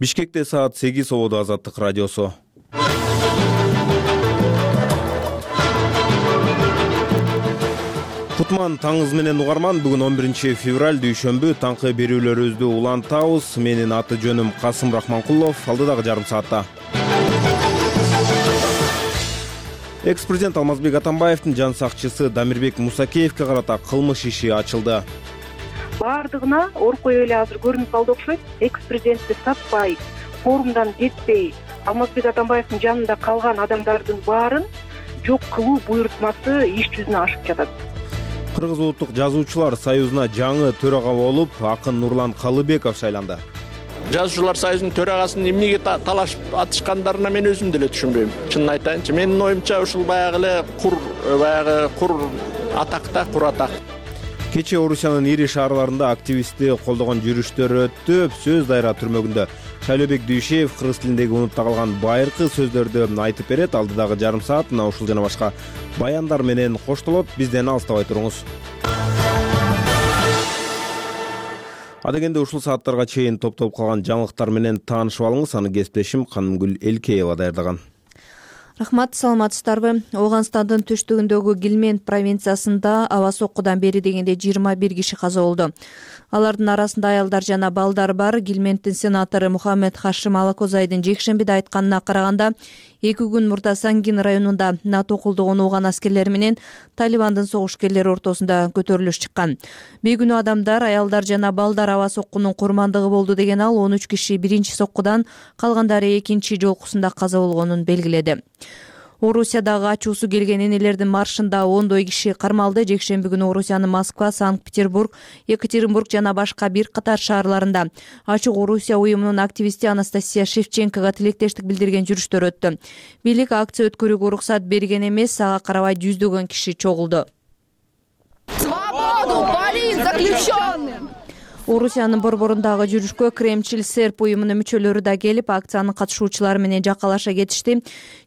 Бишкекте саат 8 ободу Азаттык радиосу. Кутман таңыз менен угарман. Бүгүн 11 февраль дүйшөмбү. Таңкы берүүлөрүбүздү улантабыз. Менин аты жөнүм Касым Рахманкулов. Алдыдагы жарым саатта экс-президент Алмазбек Атамбаевдин жан сакчысы Дамирбек Мусакеевге карата кылмыш иши ачылды. Баардыгына ооруп кое эле азыр көрүнүп калды окшойт. Экс-президентти сатпай, форумдан кетпей, Алмазбек Атамбаевдин жанында калган адамдардын баарын жок кылуу буйрутмасы иш жүзүнө ашып жатат. Кыргыз улуттук жазуучулар союзуна жаңы төрага болуп, акын Нурлан Калыбеков шайланды. Жазуучулар союзунун төрагасын эмнеге талашып атышкандарына мен өзүм деле түшүнбөйм. Чынын айтайынчы, менин оюмча ушул баягы эле кур атакта, кур атак. Кечээ Орусиянын ири шаарларында активистти колдогон жүрүштөр өттү. Сөз дайра түрмөгүндө Шайлообек Дүйшеев кыргыз тилиндеги унутта калган байыркы сөздөрдү айтып берет. Алдыдагы жарым саат мына ушул жана башка баяндар менен коштолот. Бизден алыстабай туруңуз. Адегенде ушул сааттарга чейин топтолуп калган жаңылыктар менен таанышып алыңыз. Аны кесиптешим Канымгүл Элкеева даярдаган. Рахмат, саламатсыздарбы? Ооганстандын түштүгүндөгү Гилмент провинциясында аба соккудан бери дегенде 21 киши каза болду. Алардын арасында аялдар жана балдар бар. Гилменттин сенатору Мухаммед Хашим Алакозайдын жекшембиде айтканына караганда, 2 күн мурда Сангин районунда НАТО колдогон ооган аскерлери менен Талибандын согушкерлери ортосунда көтөрүлүш чыккан. Бейкүнөө адамдар, аялдар жана балдар аба соккунун курмандыгы болду деген ал 13 киши биринчи соккудан, калгандары экинчи жолкусунда каза болгонун белгиледи. Орусиядагы ачуусу келген энелердин маршында ондой киши кармалды. Жекшемби күнү Орусиянын Москва, Санкт-Петербург, Екатеринбург жана башка бир катар шаарларында Ачык Орусия уюмунун активисти Анастасия Шевченкога тилектештик билдирген жүрүштөр өттү. Бийлик акция өткөрүүгө уруксат берген эмес, ага карабай жүздөгөн киши чогулду. Свободу полиц заключенным! Орусиянын борборундагы жүрүшкө Кремчил серп уюмунун мүчөлөрү да келип, акциянын катышуучулары менен жакалаша кетишти.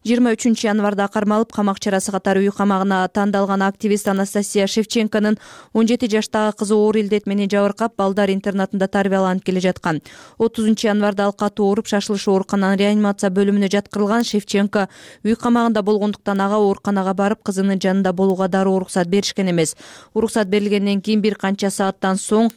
23 январда кармалып, камак чарасы катары үй камагына тандалган активист Анастасия Шевченконун 17 жаштагы кызы оор илдет менен жабыркап, балдар интернатында тарбияланып келе жаткан. 30 январда ал катуу ооруп, шашылыш оорукананын реанимация бөлүмүнө жаткырылган. Шевченко үй камагында болгондуктан ага ооруканага барып, кызынын жанында болууга дароо уруксат беришкен эмес. Уруксат берилгенден кийин бир канча сааттан соң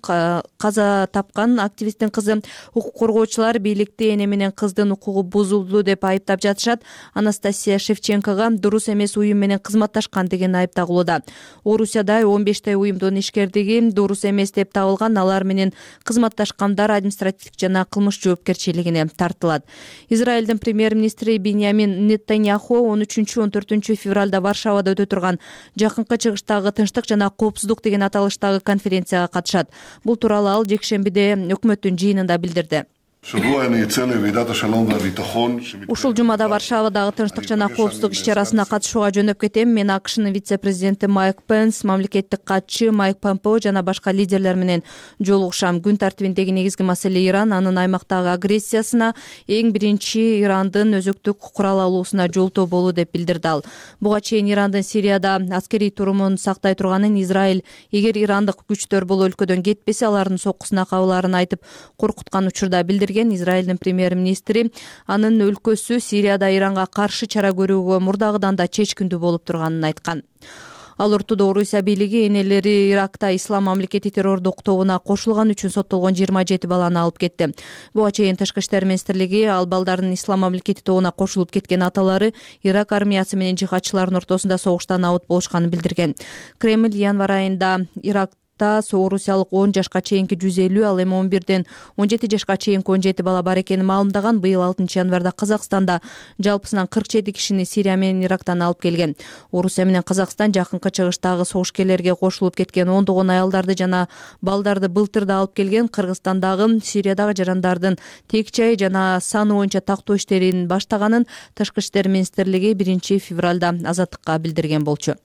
каза тапкан активисттин кызы укук коргоочулар бийликти эне менен кыздын укугу бузулду деп айыптап жатышат. Анастасия Шевченкога дурус эмес уюм менен кызматташкан деген айып тагылууда. Орусияда 15 уюмдун ишкердиги дурус эмес деп табылган. Алар менен кызматташкандар административдик жана кылмыш жоопкерчилигине тартылат. Израилдин премьер-министри Биньямин Нетаньяху 13-14 февралда Варшавада өтө турган Жакынкы Чыгыштагы тынчтык жана коопсуздук деген аталыштагы конференцияга катышат. Бул тууралуу ал жекшембиде өкмөттүн жыйынында билдирди. Ушул жумада Варшавадагы тынчтык жана коопсуздук иш-чарасына катышууга жөнөп кетем. Мен АКШнын вице-президенти Майк Пенс, мамлекеттик катчы Майк Помпео жана башка лидерлер менен жолугушам. Күн тартибиндеги негизги маселе Иран, анын аймактагы агрессиясына, эң биринчи Ирандын өзөктүк курал алуусуна жолтоо болуу деп билдирди ал. Буга чейин Ирандын Сирияда аскерий турумун сактай турганын, Израиль эгер ирандык күчтөр бул өлкөдөн кетпесе, алардын соккусуна кабылаарын айтып коркуткан учурда билдирген. Израилдин премьер-министри анын өлкөсү Сирияда Иранга каршы чара көрүүгө мурдагыдан да чечкиндүү болуп турганын айткан. Ал ортодо Орусия бийлиги энелери Иракта Ислам мамлекети террордук тобуна кошулган үчүн соттолгон 27 баланы алып кетти. Буга чейин Тышкы иштер министрлиги ал балдардын Ислам мамлекети тобуна кошулуп кеткен аталары Ирак армиясы менен жихадчылардын ортосунда согуштан абут болушканын билдирген. Кремль январь айында Иракта орусиялык 10 жашка чейинки 150, ал эми 11ден 17 жашка чейинки 17 бала бар экенин маалымдаган. Быйыл 6 январда Казакстанда жалпысынан 47 кишини Сирия менен Ирактан алып келген. Орусия менен Казакстан Жакынкы Чыгыштагы согушкерлерге кошулуп кеткен 10 аялдарды жана балдарды былтыр да алып келген. Кыргызстандагы Сириядагы жарандардын текчайы жана саны боюнча тактоо иштерин баштаганын Тышкы иштер министрлиги 1 февралда Азаттыкка билдирген болчу.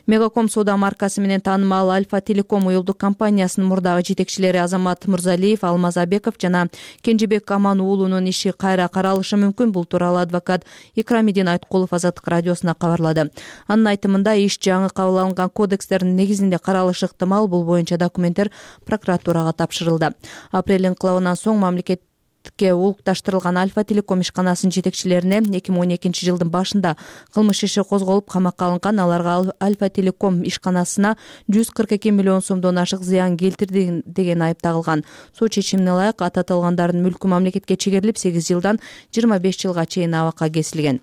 Мегаком соода маркасы менен таанымал Альфа Телеком уюлдук компаниясынын мурдагы жетекчилери Азамат Мырзалиев, Алмаз Абеков жана Кенжебек Аман уулунун иши кайра каралышы мүмкүн. Бул тууралуу адвокат Икрамидин Айткулов Азаттык радиосуна кабарлады. Анын айтымында иш жаңы кабыл алынган кодекстердин негизинде каралышы ыктымал. Бул боюнча документтер прокуратурага тапшырылды. Апрель инкылабынан соң мамлекетке улукташтырылган Альфа Телеком ишканасынын жетекчилерине 2012 жылдын башында кылмыш иши козголуп камакка алынган. Аларга Альфа Телеком ишканасына 142 миллион сомдон ашык зыян келтирди деген айып тагылган. Сот чечимине ылайык аты аталгандардын мүлкү мамлекетке чегерилип 8 жылдан 25 жылга чейин абакка кесилген.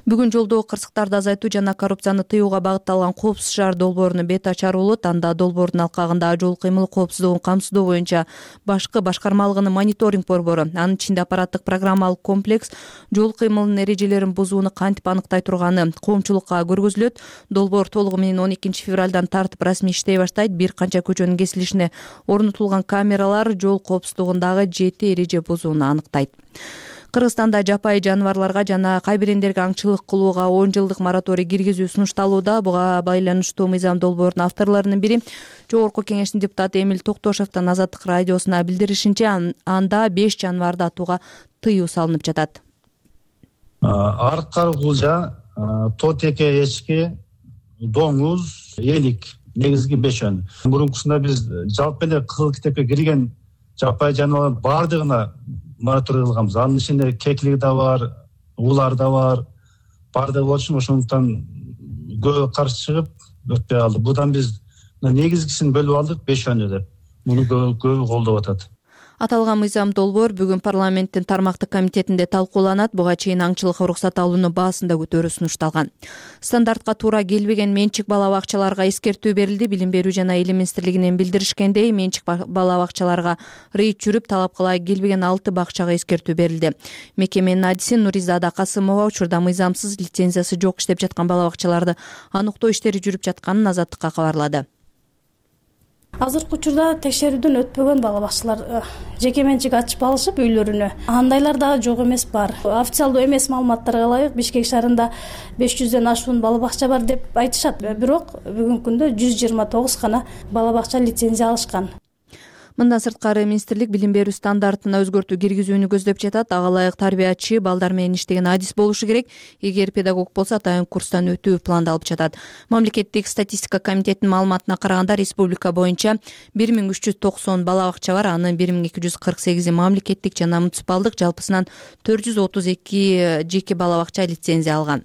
Бүгүн жолдогу кырсыктарды азайтуу жана коррупцияны тыюуга багытталган коопсуз шаар долбоорунун бет ачары болот. Анда долбоордун алкагында жол кыймыл коопсуздугун камсыздоо боюнча башкы башкармалыгынын мониторинг борбору, анын ичинде аппараттык программалык комплекс жол кыймылынын эрежелерин бузууну кантип аныктай турганы коомчулукка көргөзүлөт. Долбоор толугу менен 12 февралдан тартып расмий иштей баштайт. Бир канча көчөнүн кесилишине орнотулган камералар жол коопсуздугундагы 7 эреже бузууну аныктайт. Кыргызстанда жапайы жаныбарларга жана кайбирендерге аңчылык кылууга 10 жылдык мораторий киргизүү сунушталууда. Буга байланыштуу мыйзам долбоордун авторлорунун бири Жогорку Кеңештин депутаты Эмил Токтошевдин Азаттык радиосуна билдиришинче, анда 5 жаныбарды атууга тыюу салынып жатат. Аркар кулжа, тотеке эчки, доңуз, элик негизги 5 Мурункусунда биз жалпы эле кызыл китепке кирген жапайы жаныбарлардын баардыгына мораторий кылганбыз. Анын ичинде кеклик да бар, улар да бар, баардыгы болчу. Ошондуктан көбү каршы чыгып өтпөй калды. Будан биз негизгисин бөлүп алдык 5 деп. Муну көбү колдоп атат. Аталган мыйзам долбоор бүгүн парламенттин тармактык комитетинде талкууланат. Буга чейин аңчылыкка уруксат алууну баасында көтөрүү сунушталган. Стандартка туура келбеген менчик бала бакчаларга эскертүү берилди. Билим берүү жана Эл министрлигинен билдиришкендей, менчик бала бакчаларга рейд жүрүп, талапка келбеген 6 бакчага эскертүү берилди. Мекеменин адиси Нуризада Касымова учурда мыйзамсыз, лицензиясы жок иштеп жаткан бала бакчаларды аныктоо иштери жүрүп жатканын Азаттыкка кабарлады. Азыркы учурда текшерүүдөн өтпөгөн бала бакчалар жеке менчик ачып алышып үйлөрүнө. Андайлар дагы жок эмес бар. Официалдуу эмес маалыматтарга ылайык Бишкек шаарында 500ден ашуун бала бакча бар деп айтышат. Бирок бүгүнкү күндө 129 гана бала бакча лицензия алышкан. Мындан сырткары министрлик билим берүү стандартына өзгөртүү киргизүүнү көздөп жатат. Ага ылайык тарбиячы балдар менен иштеген адис болушу керек. Эгер педагог болсо атайын курстан өтүү пландалып жатат. Мамлекеттик статистика комитетинин маалыматына караганда республика боюнча 1390 бала бакча бар. Анын 1248 мамлекеттик жана муниципалдык, жалпысынан 432 жеке бала бакча лицензия алган.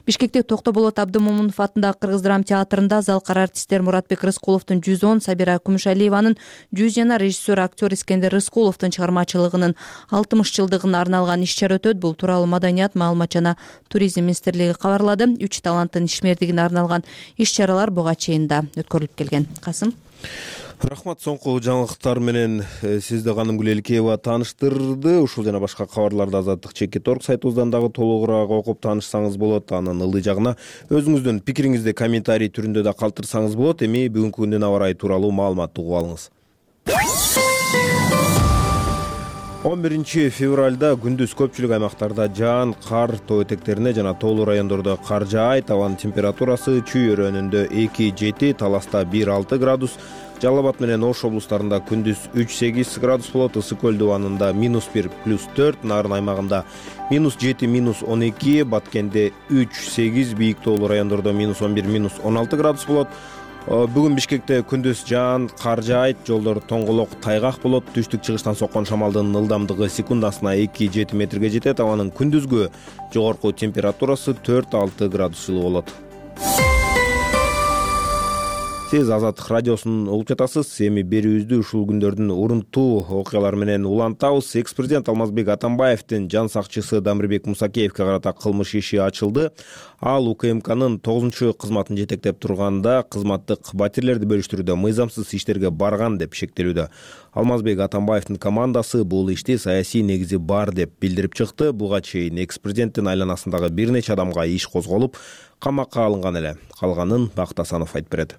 Бишкекте Токтоболот Абдымомунов атындагы Кыргыз драма театрында залкар артисттер Муратбек Рыскуловдун 110, Сабира Күмүшалиеванын 100 жана режиссер актер Искендер Рыскуловдун чыгармачылыгынын 60 жылдыгына арналган иш-чара өтөт. Бул тууралуу Маданият, маалымат жана туризм министрлиги кабарлады. 3 таланттын ишмердигине арналган иш-чаралар буга чейин да өткөрүлүп келген. Касым. Рахмат, соңку жаңылыктар менен сизди Каным Гүлелкеева тааныштырды. Ушул жана башка кабарларды Азаттык.org сайтыбыздан дагы толугураак окуп таанышсаңыз болот. Анын ылдый жагына өзүңүздүн пикириңизди комментарий түрүндө да калтырсаңыз болот. Эми бүгүнкү күндүн аба ырайы тууралуу маалыматты угуп алыңыз. 11 февралда күндүз көпчүлүк аймактарда жаан, кар, тоо этектерине жана тоолуу райондордо кар жаайт. Абанын температурасы Чүй өрөөнүндө 2-7, Таласта 1-6 градус, Жалал Абад менен Ош облустарында күндүз 3-8 градус болот. Ысык Көл дубанында -1 +4, Нарын аймагында -7 -12, Баткенде 3-8, бийик тоолуу райондордо -11 -16 градус болот. Бүгүн Бишкекте күндүз жаан, кар жаайт, жолдор тоңголок, тайгак болот. Түштүк-чыгыштан соккон шамалдын ылдамдыгы секундасына 2-7 метрге жетет. Абанын күндүзгү жогорку температурасы 4-6 градус жылы болот. Сиз Азаттык радиосун угуп жатасыз. Эми берүүбүздү ушул күндөрдүн урунттуу окуялары менен улантабыз. Экс-президент Алмазбек Атамбаевдин жан сакчысы Дамирбек Мусакеевке карата кылмыш иши ачылды. Ал УКМКнын 9 кызматын жетектеп турганда кызматтык батирлерди бөлүштүрүүдө мыйзамсыз иштерге барган деп шектелүүдө. Алмазбек Атамбаевдин командасы бул ишти саясий негизи бар деп билдирип чыкты. Буга чейин экс-президенттин айланасындагы бир нече адамга иш козголуп, камакка алынган эле. Калганын Бакыт Асанов айтып берет.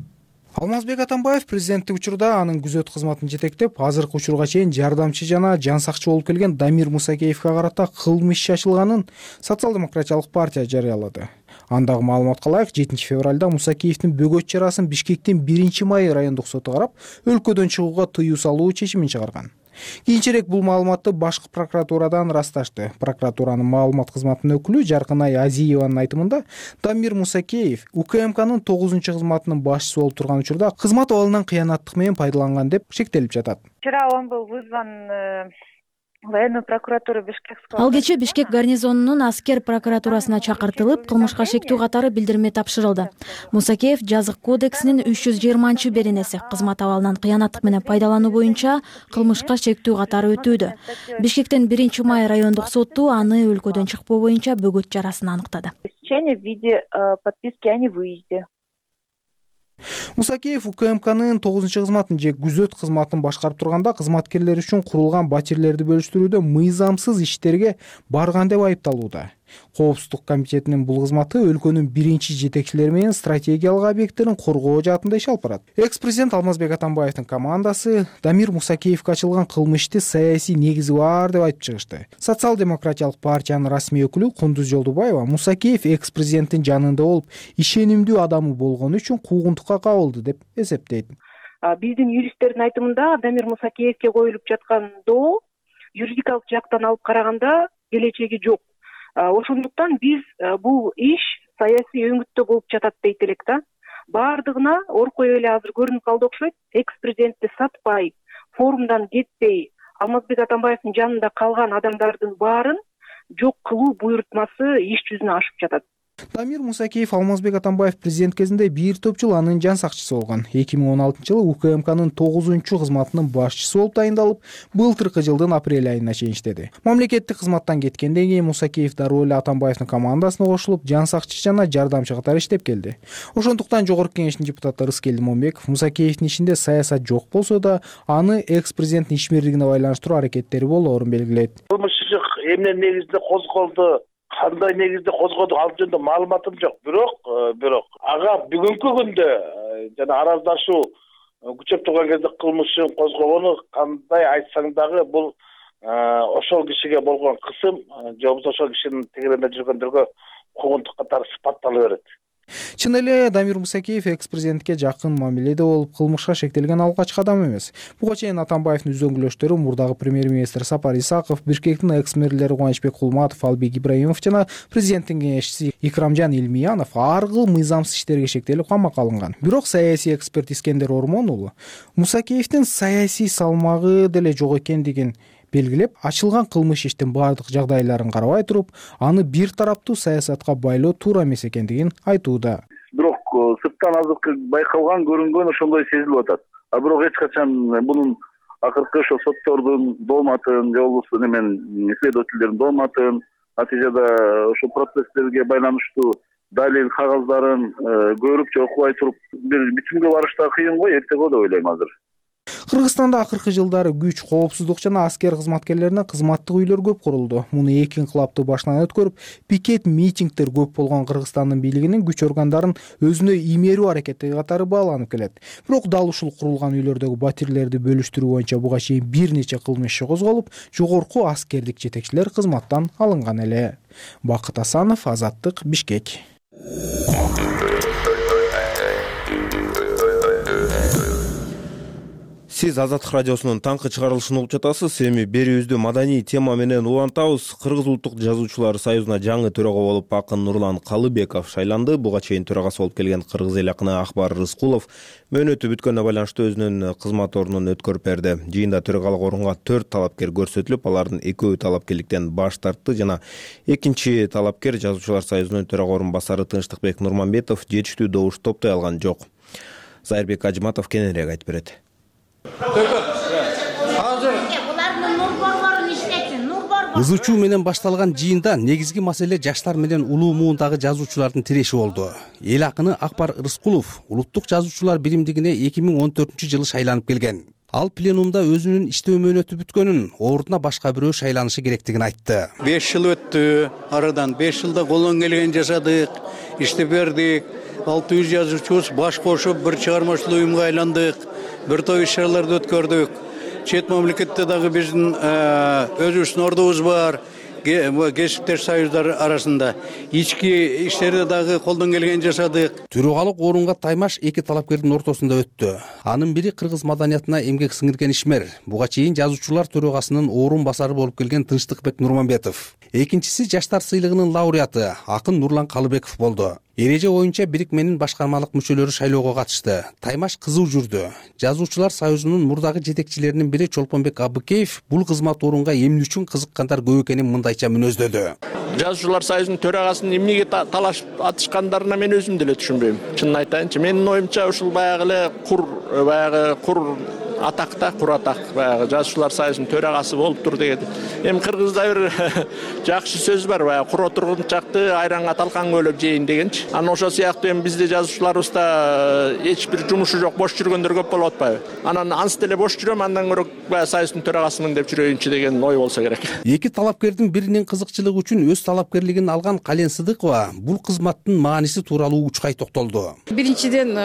Алмазбек Атамбаев президенттик учурда анын күзөт кызматын жетектеп, азыркы учурга чейин жардамчы жана жан сакчы болуп келген Дамир Мусакеевке карата кылмыш иши ачылганын Социал-демократиялык партия жарыялады. Андагы маалыматка ылайык 7 февралда Мусакеевдин бөгөт чарасын Бишкектин 1-май райондук соту карап, өлкөдөн чыгууга тыюу салуу чечимин чыгарган. Кийинчерээк бул маалыматты башкы прокуратурадан ырасташты. Прокуратуранын маалымат кызматынын өкүлү Жаркынай Азиеванын айтымында, Дамир Мусакеев УКМКнын 9 кызматынын башчысы болуп турган учурда кызмат абалынан кыянаттык менен пайдаланган деп шектелип жатат. Вчера он был вызван Военная прокуратура Бишкекского. Ал кечээ Бишкек гарнизонунун аскер прокуратурасына чакыртылып, кылмышка шектүү катары билдирме тапшырылды. Мусакеев жазык кодексинин 320-беренеси кызмат абалынан кыянаттык менен пайдалануу боюнча кылмышка шектүү катары өтүүдө. Бишкектен 1-май райондук соту аны өлкөдөн чыкпоо боюнча бөгөт чарасын аныктады. В виде подписки о невыезде. Мусакеев УКМКнын 9-кызматын же күзөт кызматын башкарып турганда кызматкерлер үчүн курулган батирлерди бөлүштүрүүдө мыйзамсыз иштерге барган деп айыпталууда. Коопсуздук комитетинин бул кызматы өлкөнүн биринчи жетекчилери менен стратегиялык объекттерин коргоо жаатында иш алып барат. Экс-президент Алмазбек Атамбаевдин командасы Дамир Мусакеевге ачылган кылмыш ишти саясий негизи бар деп айтып чыгышты. Социал-демократиялык партиянын расмий өкүлү Кундуз Жолдубаева Мусакеев экс-президенттин жанында болуп, ишенимдүү адамы болгону үчүн куугунтукка кабылды деп эсептейт. Биздин юристтердин айтымында Дамир Мусакеевге коюлуп жаткан доо юридикалык жактан алып караганда келечеги жок. Ошондуктан биз бул иш саясий өңүттө болуп жатат дейт элек да. Баардыгына ор коюп эле азыр көрүнүп калды окшойт. Экс-президентти сатпай, форумдан кетпей, Алмазбек Атамбаевдин жанында калган адамдардын баарын жок кылуу буйрутмасы иш жүзүнө ашып жатат. Дамир Мусакеев Алмазбек Атамбаев президент кезинде бир топ жыл анын жан сакчысы болгон. 2016-жылы УКМКнын 9-кызматынын башчысы болуп тайындалып, былтыркы жылдын апрель айына чейин иштеди. Мамлекеттик кызматтан кеткенден кийин Мусакеев дароо эле Атамбаевдин командасына кошулуп, жан сакчы жана жардамчы катары иштеп келди. Ошондуктан Жогорку Кеңештин депутаты Рыскелди Момбеков Мусакеевдин ишинде саясат жок болсо да, аны экс-президенттин ишмерлигине байланыштыруу аракеттери болоорун белгилейт. Кылмыш иши эмне негизинде козголду, кандай негизде козгоду ал жөнүндө маалыматым жок. Бирок ага бүгүнкү күндө жана араздашуу күчөп турган кезде кылмышын козгогону кандай айтсаң дагы бул ошол кишиге болгон кысым же болбосо ошол кишинин тегеренде жүргөндөргө куугунтук катары сыпаттала берет. Чын эле Дамир Мусакеев экс-президентке жакын мамиледе болуп, кылмышка шектелген алгачкы адам эмес. Буга чейин Атамбаевдин үзөңгүлөштөрү мурдагы премьер-министр Сапар Исаков, Бишкектин экс-мэрлери Кубанычбек Кулматов, Албек Ибраимов жана президенттин кеңешчиси Икрамжан Илмиянов ар кыл мыйзамсыз иштерге шектелип камакка алынган. Бирок саясий эксперт Искендер Ормон уулу Мусакеевдин саясий салмагы деле жок экендигин белгилеп, ачылган кылмыш иштин бардык жагдайларын карабай туруп, аны бир тараптуу саясатка байлоо туура эмес экендигин айтууда. Бирок сырттан азыркы байкалган, көрүнгөн ошондой сезилип атат. Бирок эч качан бунун акыркы ошо соттордун дооматын, же болбосо следовательдердин дооматын, натыйжада ошо процесстерге байланыштуу далил кагаздарын көрүп же окубай туруп бир битимге барыш да кыйын го, эртеге деп ойлойм азыр. Кыргызстанда акыркы жылдары күч, коопсуздук жана аскер кызматкерлерине кызматтык үйлөр көп курулду. Муну эки инкылапты башынан өткөрүп, пикет митингдер көп болгон Кыргызстандын бийлигинин күч органдарын өзүнө иймерүү аракети катары бааланып келет. Бирок дал ушул курулган үйлөрдөгү батирлерди бөлүштүрүү боюнча буга чейин бир нече кылмыш иши козголуп, жогорку аскердик жетекчилер кызматтан алынган эле. Бакыт Асанов, Азаттык, Бишкек. Сиз Азаттык радиосунун таңкы чыгарылышын угуп жатасыз. Эми берүүбүздү маданий тема менен улантабыз. Кыргыз улуттук жазуучулар союзуна жаңы төрага болуп акын Нурлан Калыбеков шайланды. Буга чейин төрагасы болуп келген кыргыз эл акыны Акбар Рыскулов мөөнөтү бүткөнүнө байланыштуу өзүнүн кызмат ордунун өткөрүп берди. Жыйында төрагалык орунга 4 талапкер көрсөтүлүп, алардын экөөү талапкерликтен баш тартты жана экинчи талапкер жазуучулар союзунун төрага орун басары Тынчтыкбек Нурманбетов жетиштүү добуш топтой алган жок. Зайырбек Ажматов кененирээк айтып берет. Ызы чуу менен башталган жыйында негизги маселе жаштар менен улуу муундагы жазуучулардын тиреши болду. Эл акыны Акбар Рыскулов улуттук жазуучулар биримдигине 2014-жылы шайланып келген. Ал пленумда өзүнүн иштөө мөөнөтү бүткөнүн, ордуна башка бирөө шайланышы керектигин айтты. 5 жыл өттү, арадан 5 жылда колдон келген жасадык, иштеп бердик. 600 жазуучубуз баш кошуп бир чыгармачылык уюмга айландык. Бир топ иш-чараларды өткөрдүк. Чет мамлекетте дагы биздин өзүбүздүн ордубуз бар. кесиптеш союздар арасында ички иштерде дагы колдон келгенин жасадык. Төрөгалык орунга таймаш эки талапкердин ортосунда өттү. Анын бири кыргыз маданиятына эмгек сиңирген ишмер, буга чейин жазуучулар төрөгасынын орун басары болуп келген Тынчтыкбек Нурманбетов. Экинчиси жаштар сыйлыгынын лауреаты акын Нурлан Калыбеков болду. Эреже боюнча бирикменин башкармалык мүчөлөрү шайлоого катышты. Таймаш кызуу жүрдү. Жазуучулар союзунун мурдагы жетекчилеринин бири Чолпонбек Абыкеев бул кызмат орунга эмне үчүн кызыккандар көп экенин мындайча мүнөздөдү. Жазуучулар союзунун төрагасынын эмнеге талашып атышкандарына мен өзүм деле түшүнбөйм. Чынын айтайынчы, менин оюмча ушул баягы эле кур атакта, кур атак баягы жазуучулар союзунун төрагасы болуптур деген. Эми кыргызда бир жакшы сөз бар, баягы кур отургунчакты айранга талкан көөлөп жейин дегенчи. Анан ошол сыяктуу эми бизде жазуучуларыбызда эч бир жумушу жок, бош жүргөндөр көп болуп атпайбы? Анан анс деле бош жүрөм, андан көрө баягы союздун төрагасымын деп жүрөйүнчү деген ой болсо керек. Эки талапкердин биринин кызыкчылыгы үчүн өз талапкерлигин алган Кален Сыдыкова бул кызматтын мааниси тууралуу учкай токтолду. Биринчиден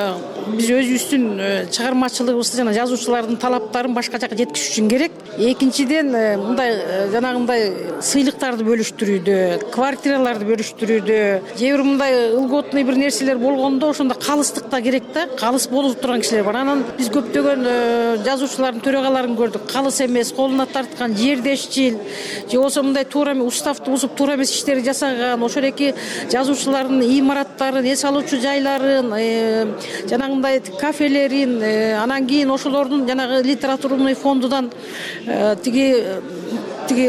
биз өзүбүздүн чыгармачылыгыбызды жана жазуучулардын талаптарын башка жака жеткизиш үчүн керек. Экинчиден мындай жанагындай сыйлыктарды бөлүштүрүүдө, квартираларды бөлүштүрүүдө, же бир мындай ылготный бир нерселер болгондо ошондо калыстык да керек да. Калыс болуп турган кишилер бар. Анан биз көптөгөн жазуучулардын төрагаларын көрдүк. Калыс эмес, колуна тарткан, жердешчил, же болбосо мындай туура эмес уставды бузуп туура эмес иштерди жасаган, ошол эки жазуучулардын имараттарын, эс алуучу жайларын, жанагындай кафелерин, анан кийин ошолордун жанагы литературный фондудан тиги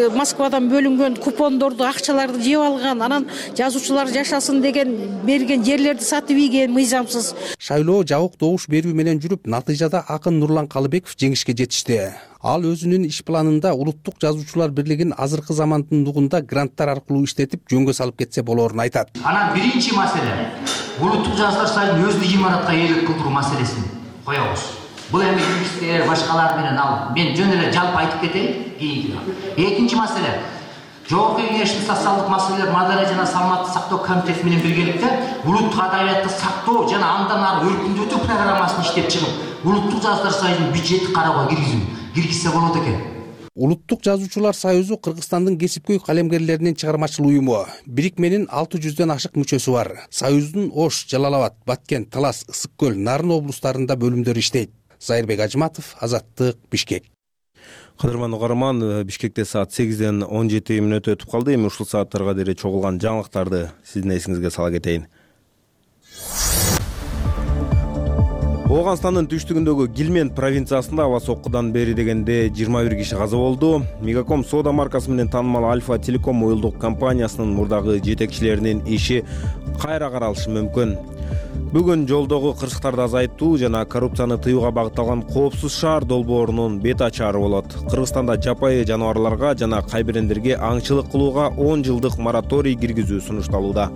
Москвадан бөлүнгөн купондорду, акчаларды жеп алган, анан жазуучулар жашасын деген берген жерлерди сатып ийген мыйзамсыз. Шайлоо жабык добуш берүү менен жүрүп, натыйжада акын Нурлан Калыбеков жеңишке жетишти. Ал өзүнүн иш планында Улуттук жазуучулар бирлигин азыркы замандындугунда гранттар аркылуу иштетип жөнгө салып кетсе болоорун айтат. Анан биринчи маселе Улуттук жазуучулар союзунун өзү имаратка ээлик кылдыруу маселесин коебуз. Бул эми юристтер, башкалар менен мен жөн эле жалпы айтып кетейин. Экинчи маселе Жогорку Кеңештин социалдык маселелер маданият жана саламаттык сактоо комитети менен биргеликте улуттук адабиятты сактоо жана андан ары өркүндөтүү программасын иштеп чыгып, Улуттук жазуучулар союзунун бюджетти кароого киргизсе болот экен. Улуттук жазуучулар союзу Кыргызстандын кесипкөй калемгерлеринин чыгармачыл уюму. Бирикменин 600дөн ашык мүчөсү бар. Союздун Ош, Жалал-Абад, Баткен, Талас, Ысык көл, Нарын облустарында бөлүмдөрү иштейт. Зайырбек Ажматов, Азаттык, Бишкек. Кадырман угарман, Бишкекте саат 8ден 17 мүнөт өтүп калды. Эми ушул сааттарга дейин чогулган жаңылыктарды сиздин эсиңизге сала кетейин. Ооганстандын түштүгүндөгү Гилмент провинциясында аба соккудан бери дегенде 21 киши каза болду. Мегаком соода маркасы менен таанымал Альфа Телеком уюлдук компаниясынын мурдагы жетекчилеринин иши кайра каралышы мүмкүн. Бүгүн жолдогу кырсыктарды азайтуу жана коррупцияны тыюуга багытталган коопсуз шаар долбоорунун бет ачаары болот. Кыргызстанда жапайы жаныбарларга жана кайбирендерге аңчылык кылууга 10 жылдык мораторий киргизүү сунушталууда.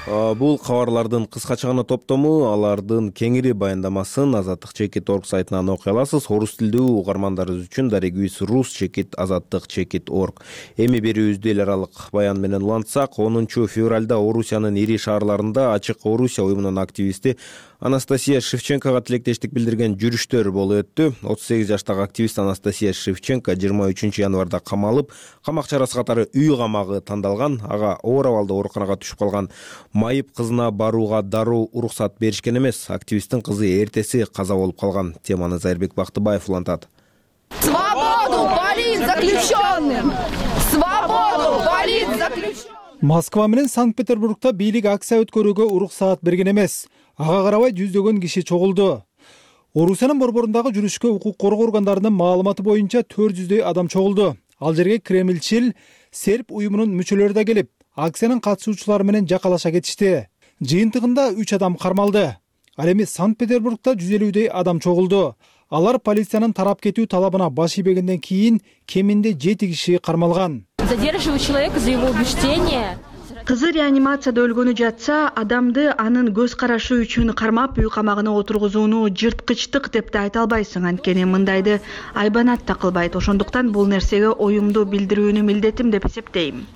Бул кабарлардын кыскача гана топтому, алардын кеңири баяндамасын azattik.org сайтынан окуй аласыз. Орус тилдүү угармандарыбыз үчүн дарегибиз rus.azattik.org. Эми берүүбүздү эл аралык баян менен улантсак, 10 февралда Орусиянын ири шаарларында Ачык Орусия уюмунун активисти Анастасия Шевченкога тилектештик билдирген жүрүштөр болуп өттү. 38 жаштагы активист Анастасия Шевченко 23 январда камалып, камак чарасы катары үй камагы тандалган. Ага оор абалда ооруканага түшүп калган. Майып кызына барууга дароо уруксат беришкен эмес. Активисттин кызы эртеси каза болуп калган. Теманы Зайырбек Бактыбаев улантат. Свободу политзаключенным! Свободу политзаключенным! Москва менен Санкт-Петербургда бийлик акция өткөрүүгө уруксаат берген эмес. Ага карабай жүздөгөн киши чогулду. Орусиянын борборундагы жүрүшкө укук коргоо органдарынын маалыматы боюнча 400дөй адам чогулду. Ал жерге Кремльчил, серб уюмунун мүчөлөрү да келип, акциянын катышуучулары менен жакалаша кетишти. Жыйынтыгында 3 адам кармалды. Ал эми Санкт-Петербургда 150дөй адам чогулду. Алар полициянын тарап кетүү талабына баш ийбегенден кийин кеминде 7 киши кармалган. Задерживать человека за его убеждение. Кызы реанимацияда өлгөнү жатса, адамды анын көз карашы үчүн кармап үй камагына отургузууну жырткычтык деп да айта албайсың, анткени мындайды айбанат да кылбайт. Ошондуктан бул нерсеге оюмду билдирүүнү милдетим деп эсептейм.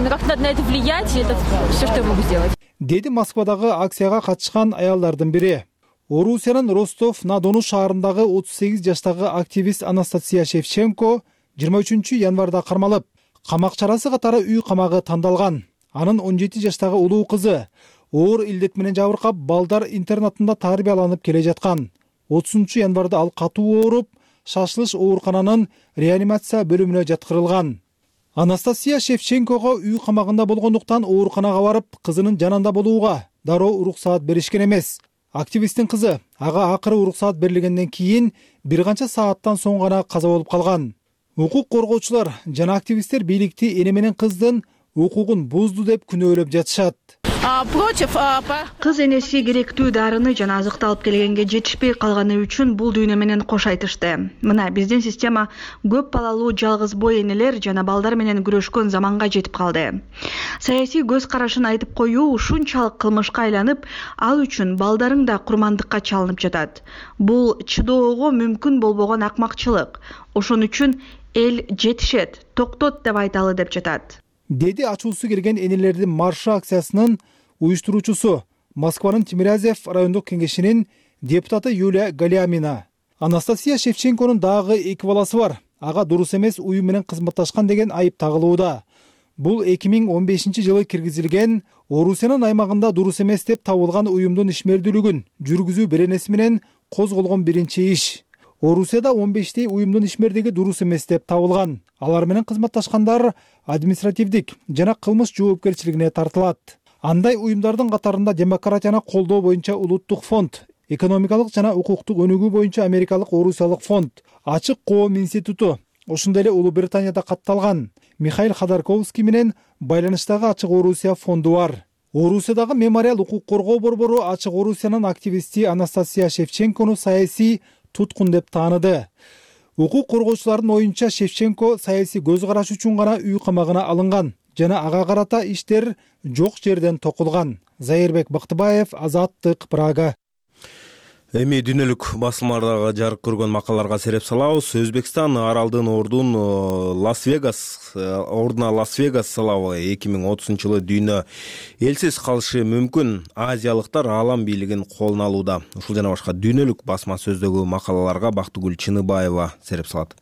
Как надо на это влиять, это все, что я могу сделать. Деди Москвадагы акцияга катышкан аялдардын бири. Орусиянын Ростов-на-Дону шаарындагы 38 жаштагы активист Анастасия Шевченко 23 январда кармалып, камак чарасы катары үй камагы тандалган. Анын 17 жаштагы улуу кызы оор илдет менен жабыркап, балдар интернатында тарбияланып келе жаткан. 30 январда ал катуу ооруп, шашылыш оорукананын реанимация бөлүмүнө жаткырылган. Анастасия Шевченкого үй камагында болгондуктан ооруканага барып, кызынын жанында болууга дароо уруксаат беришкен эмес. Активисттин кызы ага акыры уруксаат берилгенден кийин бир канча сааттан соң гана каза болуп калган. Укук коргоочулар жана активисттер бийликти эне менен кыздын укугун бузду деп күнөөлөп жатышат. Кыз энеси керектүү дарыны жана азыкты алып келгенге жетишпей калганы үчүн бул дүйнө менен кош айтышты. Мына биздин система көп балалуу жалгыз бой энелер жана балдар менен күрөшкөн заманга жетип калды. Саясий көз карашын айтып коюу ушунчалык кылмышка айланып, ал үчүн балдарың да курмандыкка чалынып жатат. Бул чыдоого мүмкүн болбогон акмакчылык. Ошон үчүн эл жетишет, токтот деп айталы деп жатат. Деди ачуусу келген энелердин маршы акциясынын уюштуруучусу Москванын Тимирязев райондук кеңешинин депутаты Юлия Галямина. Анастасия Шевченконун дагы 2 баласы бар. Ага дурус эмес уюм менен кызматташкан деген айып тагылууда. Бул 2015-жылы киргизилген Орусиянын аймагында дурус эмес деп табылган уюмдун ишмердүүлүгүн жүргүзүү беренеси менен козголгон биринчи иш. Орусияда 15 уюмдун ишмердиги дурус эмес деп табылган. Алар менен кызматташкандар административдик жана кылмыш жоопкерчилигине тартылат. Андай уюмдардын катарында демократияны колдоо боюнча улуттук фонд, экономикалык жана укуктук өнүгүү боюнча америкалык Орусиялык фонд, Ачык коом институту, ошондой эле Улуу Британияда катталган Михаил Ходорковский менен байланыштагы Ачык Орусия фонду бар. Орусиядагы мемориал укук коргоо борбору Ачык Орусиянын активисти Анастасия Шевченкону саясий туткун деп тааныды. Укук коргоочулардын оюнча Шевченко саясий көз караш үчүн гана үй камагына алынган жана ага карата иштер жок жерден токулган. Зайырбек Бактыбаев, Азаттык, Прага. Эми дүйнөлүк басылмаларда жарык көргөн макалаларга сереп салабыз. Өзбекстан аралдын ордуна Лас-Вегас салабы 2030-жылы дүйнө элсиз калышы мүмкүн. Азиялыктар аалам бийлигин колуна алууда. Ушул жана башка дүйнөлүк басма сөздөгү макалаларга Бактыгүл Чыныбаева сереп салат.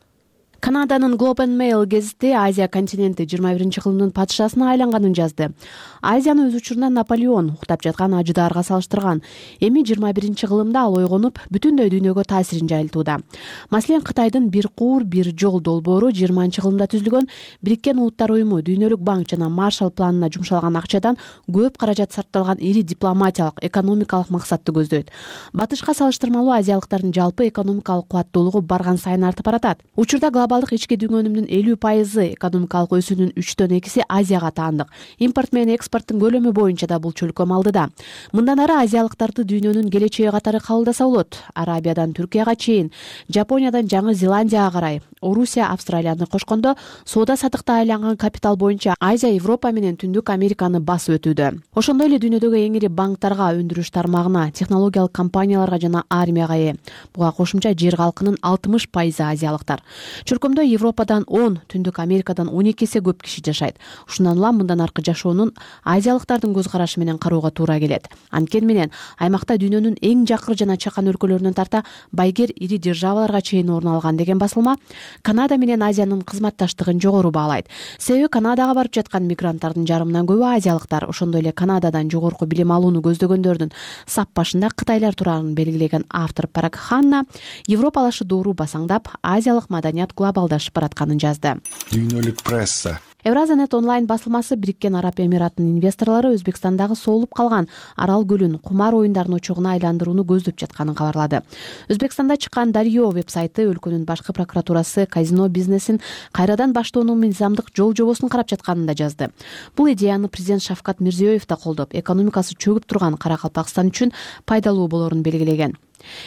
Канаданын Globe and Mail гезити Азия континенти 21-кылымдын падышасына айланганын жазды. Азияны өз учурунда Наполеон уктап жаткан ажыдаарга салыштырган. Эми 21-кылымда ал ойгонуп, бүтүндөй дүйнөгө таасирин жайылтууда. Маселен, Кытайдын бир куур, бир жол долбоору 20-кылымда түзүлгөн Бириккен Улуттар уюму Дүйнөлүк банк жана Маршалл планына жумшалган акчадан көп каражат сарпталган ири дипломатиялык, экономикалык максатты көздөйт. Батышка салыштырмалуу азиялыктардын жалпы экономикалык кубаттуулугу барган сайын артып баратат. Учурда глобалдык ички дүнгөнүмдүн 50% экономикалык өсүүнүн 3/2 Азияга таандык. Импорт менен экспорттун көлөмү боюнча да бул чөлкөм алдыда. Мындан ары азиялыктарды дүйнөнүн келечеги катары кабылдаса болот. Арабиядан Түркияга чейин, Жапониядан Жаңы Зеландияга карай, Орусия, Австралияны кошкондо соода саттыкта айланган капитал боюнча Азия, Европа менен Түндүк Американы басып өтүүдө. Ошондой эле дүйнөдөгү эң ири банктарга, өндүрүш тармагына, технологиялык компанияларга жана армияга ээ. Буга кошумча жер калкынын 60% азиялыктар. Чөлкөмдө Европадан 10, Түндүк Америкадан 12 эсе көп киши жашайт. Ушундан улам мындан аркы жашоонун азиялыктардын көз карашы менен кароого туура келет. Анткени менен аймакта дүйнөнүн эң жакыр жана чакан өлкөлөрүнөн тарта байгер ири державаларга чейин орун алган деген басылма Канада менен Азиянын кызматташтыгын жогору баалайт. Себеби Канадага барып жаткан мигранттардын жарымынан көбү азиялыктар. Ошондой эле Канададан жогорку билим алууну көздөгөндөрдүн сап башында кытайлар турарын белгилеген автор Парак Ханна европалашы доору басаңдап, азиялык маданият глобалдашып баратканын жазды. Дүйнөлүк пресса. Евразанет онлайн басылмасы Бириккен Араб Эмираттын инвесторлору Өзбекстандагы соолуп калган Арал көлүн кумар оюндарынын очогуна айландырууну көздөп жатканын кабарлады. Өзбекстанда чыккан Дарьё вебсайты өлкөнүн башкы прокуратурасы казино бизнесин кайрадан баштоонун мыйзамдык жол жобосун карап жатканын да жазды. Бул идеяны президент Шавкат Мирзиёев да колдоп, экономикасы чөгүп турган Каракалпакстан үчүн пайдалуу болорун белгилеген.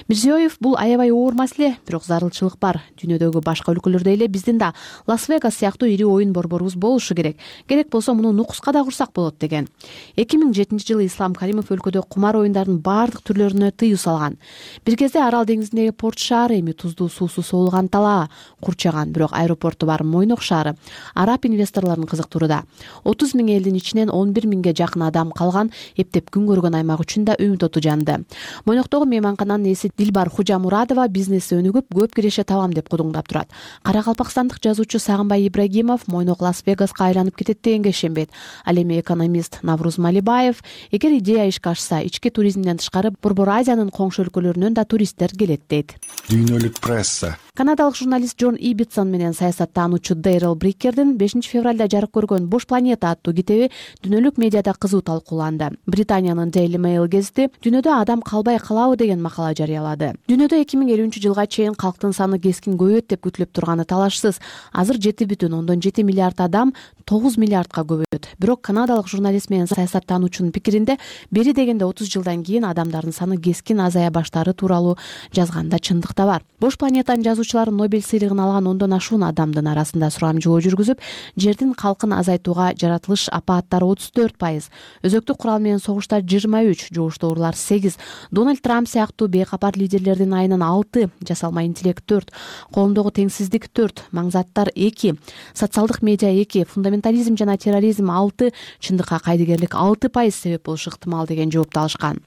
Мирзиёев бул аябай оор маселе, бирок зарылчылык бар. Дүйнөдөгү башка өлкөлөрдөй эле биздин да Лас-Вегас сыяктуу ири оюн борборубуз болушу керек. Керек болсо муну нукуска да курсак болот деген. 2007-жылы Ислам Каримов өлкөдө кумар оюндардын баардык түрлөрүнө тыюу салган. Бир кезде Арал деңизиндеги порт шаары эми туздуу суусу соолуган талаа курчаган, бирок аэропорту бар Мойнок шаары араб инвесторлорун кызыктырууда. 30 000 элдин ичинен 11 000ге жакын адам калган эптеп күн көргөн аймак үчүн да үмүт оту жанды. Мойноктогу мейманкананын ээси Дилбар Хужамурадова бизнеси өнүгүп, көп киреше табам деп кудуңдап турат. Каракалпакстандык жазуучу Сагынбай Ибрагимов Мойнок Лас-Вегаска айланып кетет дегенге ишенбейт. Ал эми экономист Навруз Малибаев эгер идея ишке ашса, ички туризмден тышкары Борбор Азиянын коңшу өлкөлөрүнөн да туристтер келет дейт. Дүйнөлүк пресса. Канадалык журналист Джон Ибитсон менен саясаттануучу Дейрел Брикердин 5 февралда жарык көргөн Бош планета аттуу китеби дүйнөлүк медиада кызуу талкууланды. Британиянын Daily Mail гезити дүйнөдө адам калбай калабы деген макала жарыялады. Дүйнөдө 2050-жылга чейин калктын саны кескин көбөйөт деп күтүлүп турганы талашсыз. Азыр 7,7 миллиард адам 9 миллиардка көбөйөт. Бирок канадалык журналист менен саясаттануучунун пикиринде бери дегенде 30 жылдан кийин адамдардын саны кескин азая баштаары тууралуу жазганда чындык да бар. Бош планетанын жазуучулары Нобель сыйлыгын алган 10дон ашуун адамдын арасында сурамжылоо жүргүзүп, жердин калкын азайтууга жаратылыш апааттары 34%, өзөктүк курал менен согуштар 23%, жугуш оорулар 8%, Дональд Трамп сыяктуу бейкапар лидерлердин айынан 6%, жасалма интеллект 4%, коомдогу теңсиздик 4%, маңзаттар 2%, социалдык медиа 2%, фундаментализм жана терроризм 6%, чындыкка кайдыгерлик 6% себеп болушу ыктымал деген жоопту алышкан.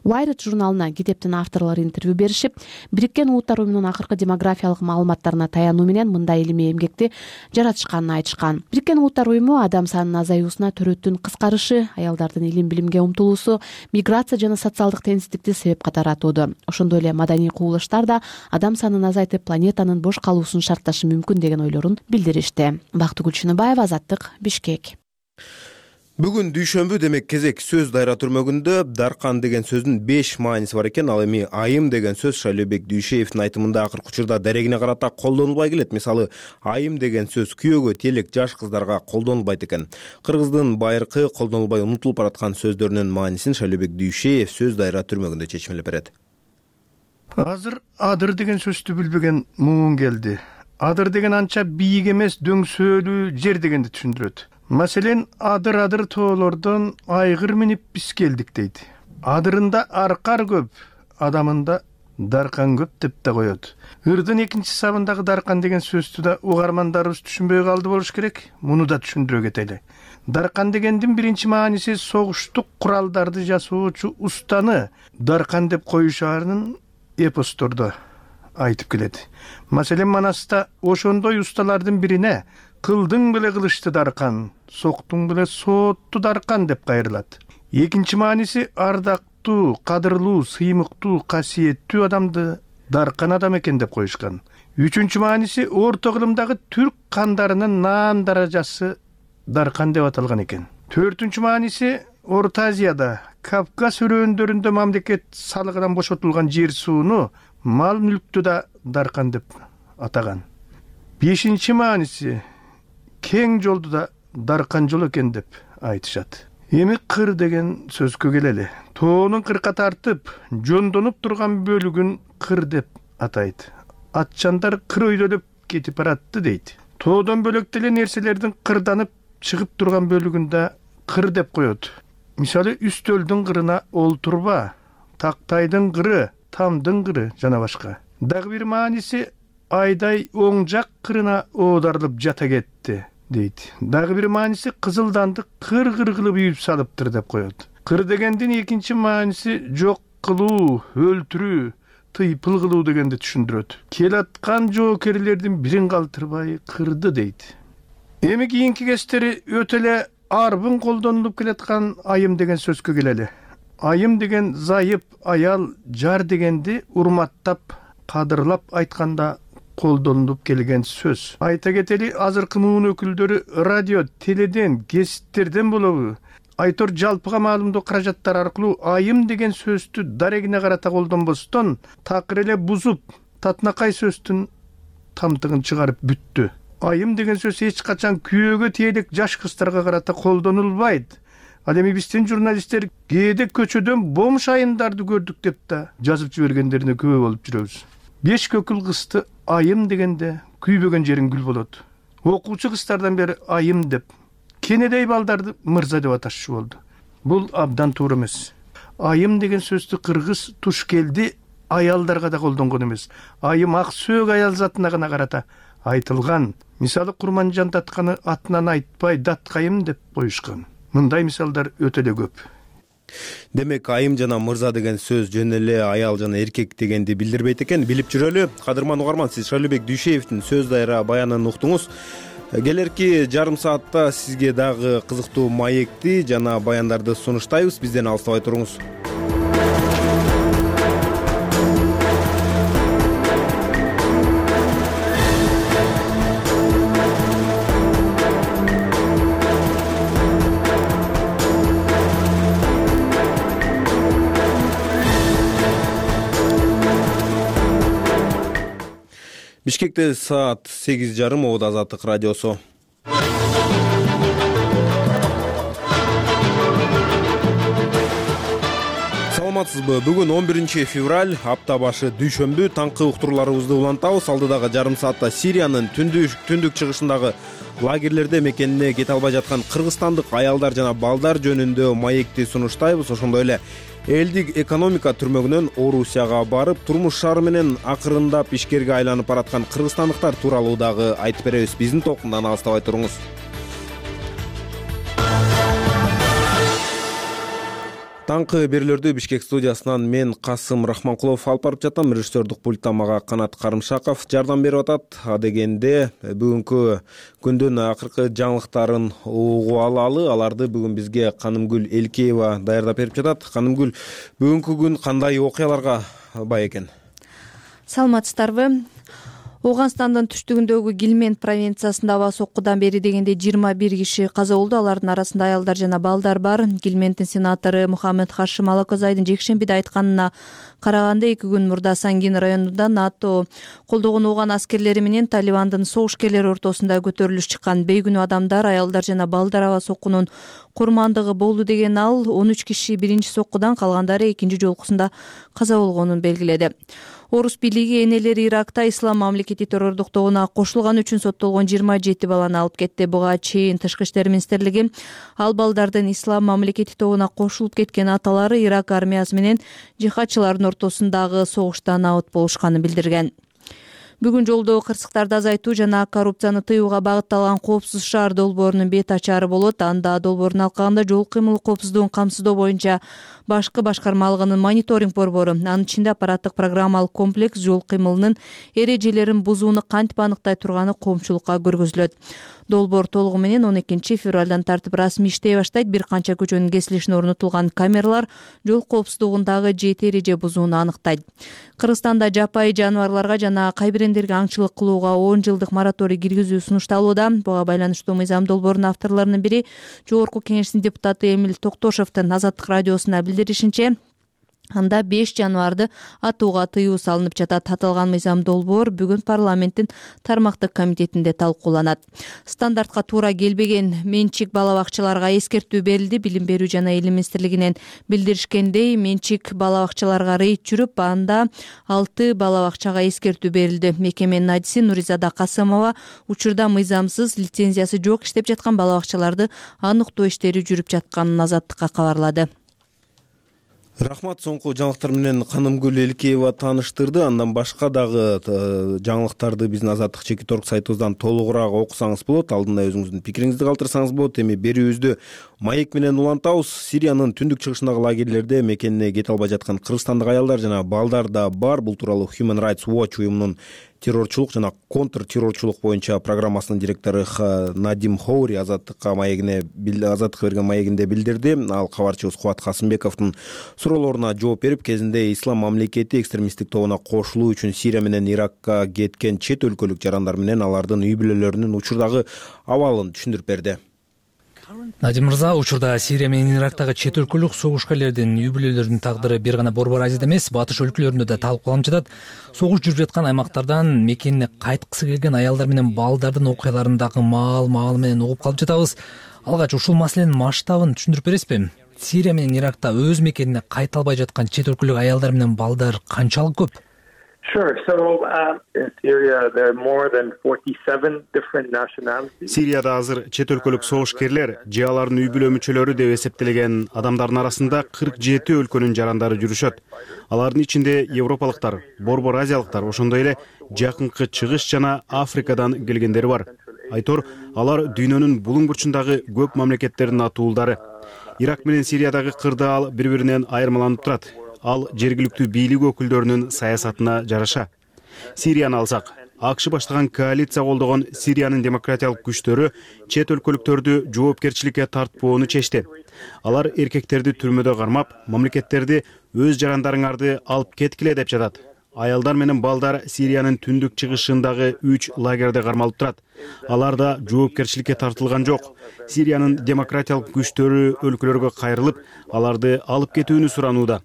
Wired журналына китептин авторлору интервью беришип, Бириккен Улуттар уюмунун акыркы демографиялык маалыматтарына таянуу менен мындай илимий эмгекти жаратышканын айтышкан. Бириккен Улуттар уюму адам санынын азаюусуна төрөттүн кыскарышы, аялдардын илим билимге умтулуусу, миграция жана социалдык теңсиздикти себеп катары атоодо. Ошондой эле маданий кубулуштар да адам санын азайтып, планетанын бош калуусун шартташы мүмкүн деген ойлорун билдиришти. Бактыгүл Чыныбаева, Азаттык, Бишкек. Бүгүн дүйшөмбү, демек кезек сөз дайра түрмөгүндө даркан деген сөздүн 5 мааниси бар экен. Ал эми айым деген сөз Шайлообек Дүйшеевдин айтымында акыркы учурда дарегине карата колдонулбай келет. Мисалы, айым деген сөз күйөөгө телек жаш кыздарга колдонулбайт экен. Кыргыздын байыркы колдонулбай унутулуп бараткан сөздөрүнүн маанисин Шайлообек Дүйшеев сөз дайра түрмөгүндө чечимелеп берет. Азыр адыр деген сөздү билбеген муун келди. Адыр деген анча бийик эмес, дөңсөөлүү жер дегенди түшүндүрөт. Маселен, адыр тоолордон айгыр минип биз келдик дейт. Адырында аркар көп, адамында даркан көп деп да коет. Ырдын экинчи сабындагы даркан деген сөздү да угармандарыбыз түшүнбөй калды болуш керек. Муну да түшүндүрө кетели. Даркан дегендин биринчи мааниси согуштук куралдарды жасоочу устаны даркан деп коюшаарын эпостордо айтып келет. Маселен, Манаста ошондой усталардын бирине кылдың беле кылычты даркан, соктуң беле соотту даркан деп кайрылат. Экинчи мааниси ардактуу, кадырлуу, сыймыктуу, касиеттүү адамды даркан адам экен деп коюшкан. Үчүнчү мааниси орто кылымдагы түрк кандарынын наан даражасы даркан деп аталган экен. Төртүнчү мааниси Орто Азияда, Кавказ өрөөндөрүндө мамлекет салыгынан бошотулган жер сууну, мал мүлктү да даркан деп атаган. Бешинчи мааниси кең жолду да даркан жол экен деп айтышат. Эми кыр деген сөзгө келели. Тоонун кырка тартып, жондонуп турган бөлүгүн кыр деп атайт. Атчандар кыр өйдөлөп кетип баратты дейт. Тоодон бөлөк деле нерселердин кырданып чыгып турган бөлүгүн да кыр деп коет. Мисалы, үстөлдүн кырына олтурба, тактайдын кыры, тамдын кыры жана башка. Дагы бир мааниси айдай оң жак кырына оодарылып жата кетти дейт. Дагы бир мааниси кызылданды кыр-кыр кылып үйүп салыптыр деп коет. Кыр дегендин экинчи мааниси жок кылуу, өлтүрүү, тыйпыл кылуу дегенди түшүндүрөт. Келаткан жоокерлердин бирин калтырбай кырды дейт. Эми кийинки кездери өтө эле арбын колдонулуп келаткан айым деген сөзгө келели. Айым деген зайып, аял, жар дегенди урматтап, кадырлап айтканда колдонулуп келген сөз. Айта кетели, азыркы муун өкүлдөрү радио, теледен, гезиттерден болобу, айтор жалпыга маалымдоо каражаттары аркылуу айым деген сөздү дарегине карата колдонбостон, такыр эле бузуп, татынакай сөздүн тамтыгын чыгарып бүттү. Айым деген сөз эч качан күйөөгө телек жаш кыздарга карата колдонулбайт. Ал эми биздин журналисттер кээде көчөдөн бомж айымдарды көрдүк деп да жазып жибергендерине күбө болуп жүрөбүз. 5 көкүл кызды айым дегенде күйбөгөн жериң гүл болот. Окуучу кыздардан бери айым деп, кенедей балдарды мырза деп аташчу болду. Бул абдан туура эмес. Айым деген сөздү кыргыз тушкелди аялдарга да колдонгон эмес. Айым ак сөөк аял затына гана карата айтылган. Мисалы Курманжан Датканы атынан айтпай Даткайым деп коюшкан. Мындай мисалдар өтө эле көп. Демек айым жана мырза деген сөз жөн эле аял жана эркек дегенди билдирбейт экен. Билип жүрөлү. Кадырман угарман, сиз Шайлообек Дүйшеевдин сөз дайра баянын уктуңуз. Келерки жарым саатта сизге дагы кызыктуу маекти жана баяндарды сунуштайбыз. Бизден алыстабай туруңуз. Бишкекте саат 8:30, Обод Азаттык радиосу. Саламатсызбы? Бүгүн 11 февраль, апта башы дүйшөмбү. Таңкы уктурууларыбызды улантабыз. Алдыдагы жарым саатта Сириянын түндүк чыгышындагы лагерлерде мекенине кете албай жаткан кыргызстандык аялдар жана балдар жөнүндө маекти сунуштайбыз. Ошондой эле элдик экономика түрмөгүнөн Орусияга барып, турмуш шаары менен акырындап ишкерге айланып бараткан кыргызстандыктар тууралуу дагы айтып беребиз. Биздин толкундан алыстабай туруңуз. Таңкы берүүлөрдү Бишкек студиясынан мен Касым Рахманкулов алып барып жатам. Режиссердук пульттан мага Канат Карымшаков жардам берип атат. Адегенде бүгүнкү күндүн акыркы жаңылыктарын угуп алалы. Аларды бүгүн бизге Канымгүл Элкеева даярдап берип жатат. Канымгүл, бүгүнкү күн кандай окуяларга бай экен? Саламатсыздарбы? Ооганстандын түштүгүндөгү Гилмент провинциясында аба соккудан бери дегенде 21 киши каза болду. Алардын арасында аялдар жана балдар бар. Гилменттин сенатору Мухаммед Хашим Алакозайдын жекшембиде айтканына караганда 2 күн мурда Сангин районунда НАТО колдогон ооган аскерлери менен Талибандын согушкерлери ортосунда көтөрүлүш чыккан. Бейгүнөө адамдар, аялдар жана балдар аба соккунун курмандыгы болду деген ал. 13 киши биринчи соккудан, калгандары экинчи жолкусунда каза болгонун белгиледи. Орус бийлиги энелери Иракта ислам мамлекети террордук тобуна кошулганы үчүн соттолгон 27 баланы алып кетти. Буга чейин Тышкы иштер министрлиги ал балдардын ислам мамлекети тобуна кошулуп кеткен аталары Ирак армиясы менен жихадчылардын ортосундагы согуштан абыт болушканын билдирген. Бүгүн жолдо кырсыктарды азайтуу жана коррупцияны тыюуга багытталган коопсуз шаар долбоорунун бет ачары болот. Анда долбоорун алкагында жол кыймыл коопсуздугун камсыздоо боюнча башкы башкармалыгынын мониторинг борбору, анын ичинде аппараттык программалык комплекс жол кыймылынын эрежелерин бузууну кантип аныктай турганы коомчулукка көргөзүлөт. Долбоор толугу менен 12 февралдан тартып расмий иштей баштайт. Бир канча көчөнүн кесилишине орнотулган камералар жол коопсуздугундагы 7 эреже бузууну аныктайт. Кыргызстанда жапайы жаныбарларга жана кайбирендерге аңчылык кылууга 10 жылдык мораторий киргизүү сунушталууда. Буга байланыштуу мыйзам долбоорунун авторлорунун бири Жогорку Кеңештин депутаты Эмил Токтошовдун Азаттык радиосуна билдиришинче, анда 5 жаныбарды атууга тыюу салынып жатат. Аталган мыйзам долбоор бүгүн парламенттин тармактык комитетинде талкууланат. Стандартка туура келбеген менчик бала бакчаларга эскертүү берилди. Билим берүү жана Элим министрлигинен билдиришкендей, менчик бала бакчаларга рейд жүрүп, анда 6 бала бакчага эскертүү берилди. Мекеменин адиси Нуризада Касымова учурда мыйзамсыз, лицензиясы жок иштеп жаткан бала бакчаларды аныктоо иштери жүрүп жатканын Азаттыкка кабарлады. Рахмат, соңку жаңылыктар менен Канымгүл Элкеева тааныштырды. Андан башка дагы жаңылыктарды биздин Азаттык Чекиторг сайтыбыздан толугураак окусаңыз болот. Алдында өзүңүздүн пикириңизди калтырсаңыз болот. Эми берүүбүздү маек менен улантабыз. Сириянын түндүк чыгышындагы лагерлерде мекенине кете албай жаткан кыргызстандык аялдар жана балдар да бар. Бул тууралуу Human Rights Watch уюмунун террорчулук жана контртеррорчулук боюнча программасынын директору Надим Хоури Азаттыкка берген маегинде билдирди. Ал кабарчыбыз Кубат Касымбековдун суроолоруна жооп берип, кезинде ислам мамлекети экстремисттик тобуна кошулуу үчүн Сирия менен Иракка кеткен чет өлкөлүк жарандар менен алардын үй бүлөлөрүнүн учурдагы абалын түшүндүрүп берди. Надим мырза, учурда Сирия менен Ирактагы чет өлкөлүк согушкерлердин үй бүлөлөрүнүн тагдыры бир гана Борбор Азияда эмес, батыш өлкөлөрүндө да талкууланып жатат. Согуш жүрүп жаткан аймактардан мекенине кайткысы келген аялдар менен балдардын окуяларындагы маал менен угуп калып жатабыз. Алгач ушул маселенин масштабын түшүндүрүп бересизби? Сирия менен Иракта өз мекенине кайта албай жаткан чет өлкөлүк аялдар менен балдар канчалык көп? Sure. So in Syria, there are more than 47 different nationalities. Сирияда азыр чет өлкөлүк согушкерлер же алардын үй бүлө мүчөлөрү деп эсептелген адамдардын арасында 47 өлкөнүн жарандары жүрүшөт. Алардын ичинде европалыктар, Борбор Азиялыктар, ошондой эле жакынкы чыгыш жана Африкадан келгендери бар. Айтор, алар дүйнөнүн булуң бурчундагы көп мамлекеттердин атуулдары. Ирак менен Сириядагы кырдаал бири-биринен айырмаланып турат. Ал жергиликтүү бийлик өкүлдөрүнүн саясатына жараша. Сирияны алсак, АКШ баштаган коалиция колдогон Сириянын демократиялык күчтөрү чет өлкөлүктөрдү жоопкерчиликке тартпоону чечти. Алар эркектерди түрмөдө кармап, мамлекеттерди өз жарандарыңарды алып кеткиле деп жатат. Аялдар менен балдар Сириянын түндүк чыгышындагы 3 лагерде кармалып турат. Алар да жоопкерчиликке тартылган жок. Сириянын демократиялык күчтөрү өлкөлөргө кайрылып, аларды алып кетүүнү суранууда.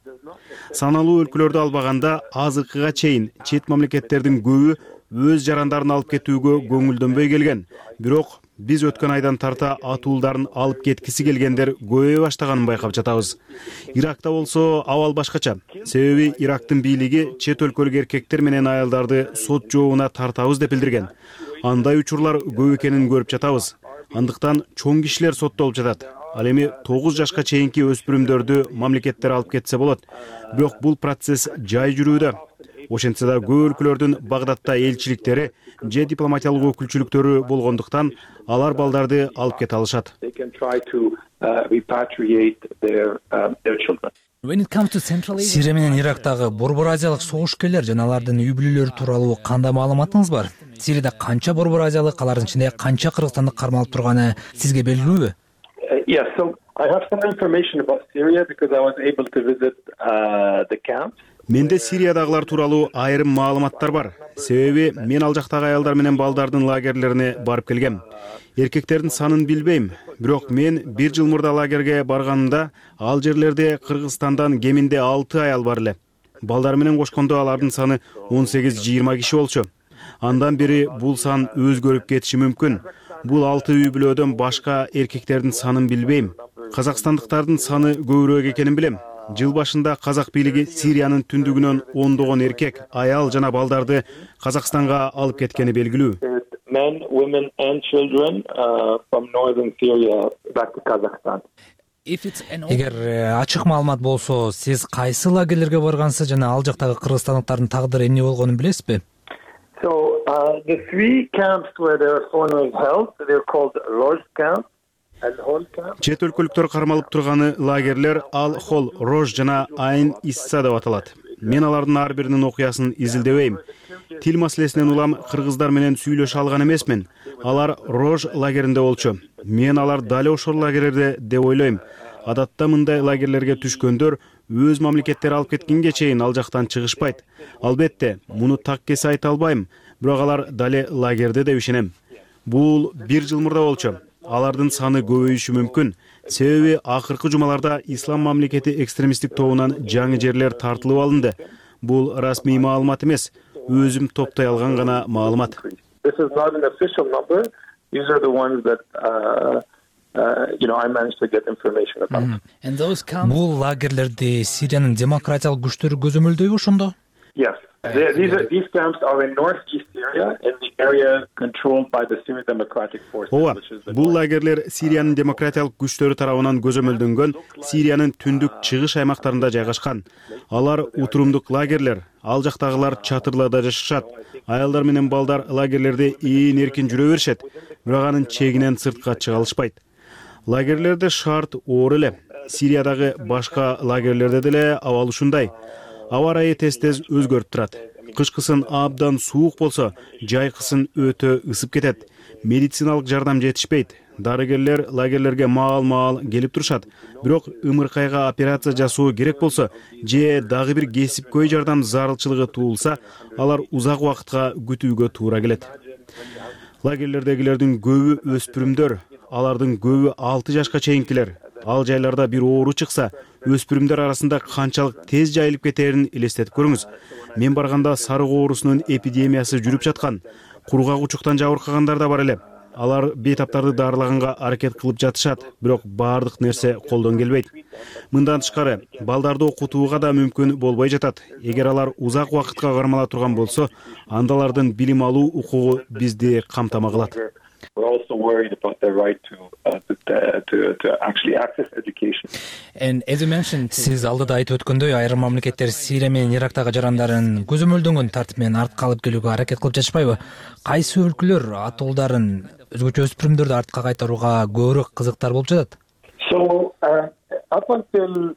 Саналуу өлкөлөрдү албаганда азыркыга чейин чет мамлекеттердин көбү өз жарандарын алып кетүүгө көңүлдөнбөй келген. Бирок биз өткөн айдан тарта атуулдарын алып кеткиси келгендер көбөйө баштаганын байкап жатабыз. Иракта болсо абал башкача. Себеби Ирактын бийлиги чет өлкөлүк эркектер менен аялдарды сот жообуна тартабыз деп билдирген. Андай учурлар көп экенин көрүп жатабыз. Андыктан чоң кишилер соттолуп жатат. Ал эми 9 жашка чейинки өспүрүмдөрдү мамлекеттер алып кетсе болот. Бирок бул процесс жай жүрүүдө. Ошентсе да көп өлкөлөрдүн Багдадта элчиликтери же дипломатиялык өкүлчүлүктөрү болгондуктан алар балдарды алып кете алышат. Сирия менен Ирактагы Борбор Азиялык согушкерлер жана алардын үй бүлөлөрү тууралуу кандай маалыматыңыз бар? Сирияда канча Борбор Азиялык, алардын ичинде канча кыргызстандык кармалып турганы сизге белгилүүбү? Yes, so I have some information about Syria because I was able to visit the camps. Менде Сириядагылар тууралуу айрым маалыматтар бар. Себеби мен ал жактагы аялдар менен балдардын лагерлерине барып келгем. Эркектердин санын билбейм, бирок мен 1 жыл мурда лагерге барганымда ал жерлерде Кыргызстандан кеминде 6 аял бар эле. Балдар менен кошкондо алардын саны 18-20 киши болчу. Андан бери бул сан өзгөрүп кетиши мүмкүн. Бул 6 үй бүлөдөн башка эркектердин санын билбейм. Казакстандыктардын саны көбүрөөк экенин билем. Жыл башында казак бийлиги Сириянын түндүгүнөн ондогон эркек, аял жана балдарды Казакстанга алып кеткени белгилүү. Men, women and children from northern Syria back to Kazakhstan. Эгер ачык маалымат болсо, сиз кайсы лагерлерге баргансыз жана ал жактагы кыргызстандыктардын тагдыры эмне болгонун билесизби? So the 3 camps where the foreigners held, they're called Roj camp. Чет өлкөлүктөр кармалып турганы лагерлер Ал-Хол, Рож жана Айн Исса деп аталат. Мен алардын ар биринин окуясын изилдебейм. Тил маселесинен улам кыргыздар менен сүйлөшө алган эмесмин. Алар Рож лагеринде болчу. Мен алар дал ошол лагерлерде деп ойлойм. Адатта мындай лагерлерге түшкөндөр өз мамлекеттери алып кеткенге чейин ал жактан чыгышпайт. Албетте, муну так кесе айта албайм, бирок алар дале лагерде деп ишенем. Бул 1 жыл мурда болчу. Алардын саны көбөйүшү мүмкүн. Себеби акыркы жумаларда ислам мамлекети экстремисттик тобунан жаңы жерлер тартылып алынды. Бул расмий маалымат эмес, өзүм топтой алган гана маалымат. This is not an official number. These are the ones that I managed to get information about. Бул лагерлерди Сириянын демократиялык күчтөрү көзөмөлдөйбү ошондо? Yes. These camps are in northeast Syria in the area controlled by the Syrian Democratic Forces. Ооба, бул лагерлер Сириянын демократиялык күчтөрү тарабынан көзөмөлдөнгөн Сириянын түндүк чыгыш аймактарында жайгашкан. Алар утурумдук лагерлер, ал жактагылар чатырларда жашашат. Аялдар менен балдар лагерлерде ийин эркин жүрө беришет, бирок анын чегинен сыртка чыга алышпайт. Лагерлерде шарт оор эле. Сириядагы башка лагерлерде деле абал ушундай. Аба ырайы тез-тез өзгөрүп турат. Кышкысын абдан суук болсо, жайкысын өтө ысып кетет. Медициналык жардам жетишпейт. Дарыгерлер лагерлерге маал-маал келип турушат. Бирок ымыркайга операция жасоо керек болсо, же дагы бир кесипкөй жардам зарылчылыгы туулса, алар узак убакытка күтүүгө туура келет. Лагерлердегилердин көбү өспүрүмдөр. алардын көбү 6 жашка чейинкилер. Ал жайларда бир оору чыкса, өспүрүмдөр арасында канчалык тез жайылып кетерин элестетип көрүңүз. Мен барганда сарык оорусунун эпидемиясы жүрүп жаткан. Кургак-учуктан жабыркагандар да бар эле. Алар бейтаптарды дарылаганга аракет кылып жатышат, бирок баардык нерсе колдон келбейт. Мындан тышкары, балдарды окутууга да мүмкүн болбой жатат. Эгер алар узак убакытка кармала турган болсо, анда алардын билим алуу укугу бизди камтама кылат. Сиз алдыда айтып өткөндөй, айрым мамлекеттер Сирия менен Ирактагы жарандарын көзөмөлдөнгөн тартип менен артка алып келүүгө аракет кылып жатышпайбы? Кайсы өлкөлөр атуулдарын, өзгөчө өспүрүмдөрдү артка кайтарууга көбүрөөк кызыктар болуп жатат? Up until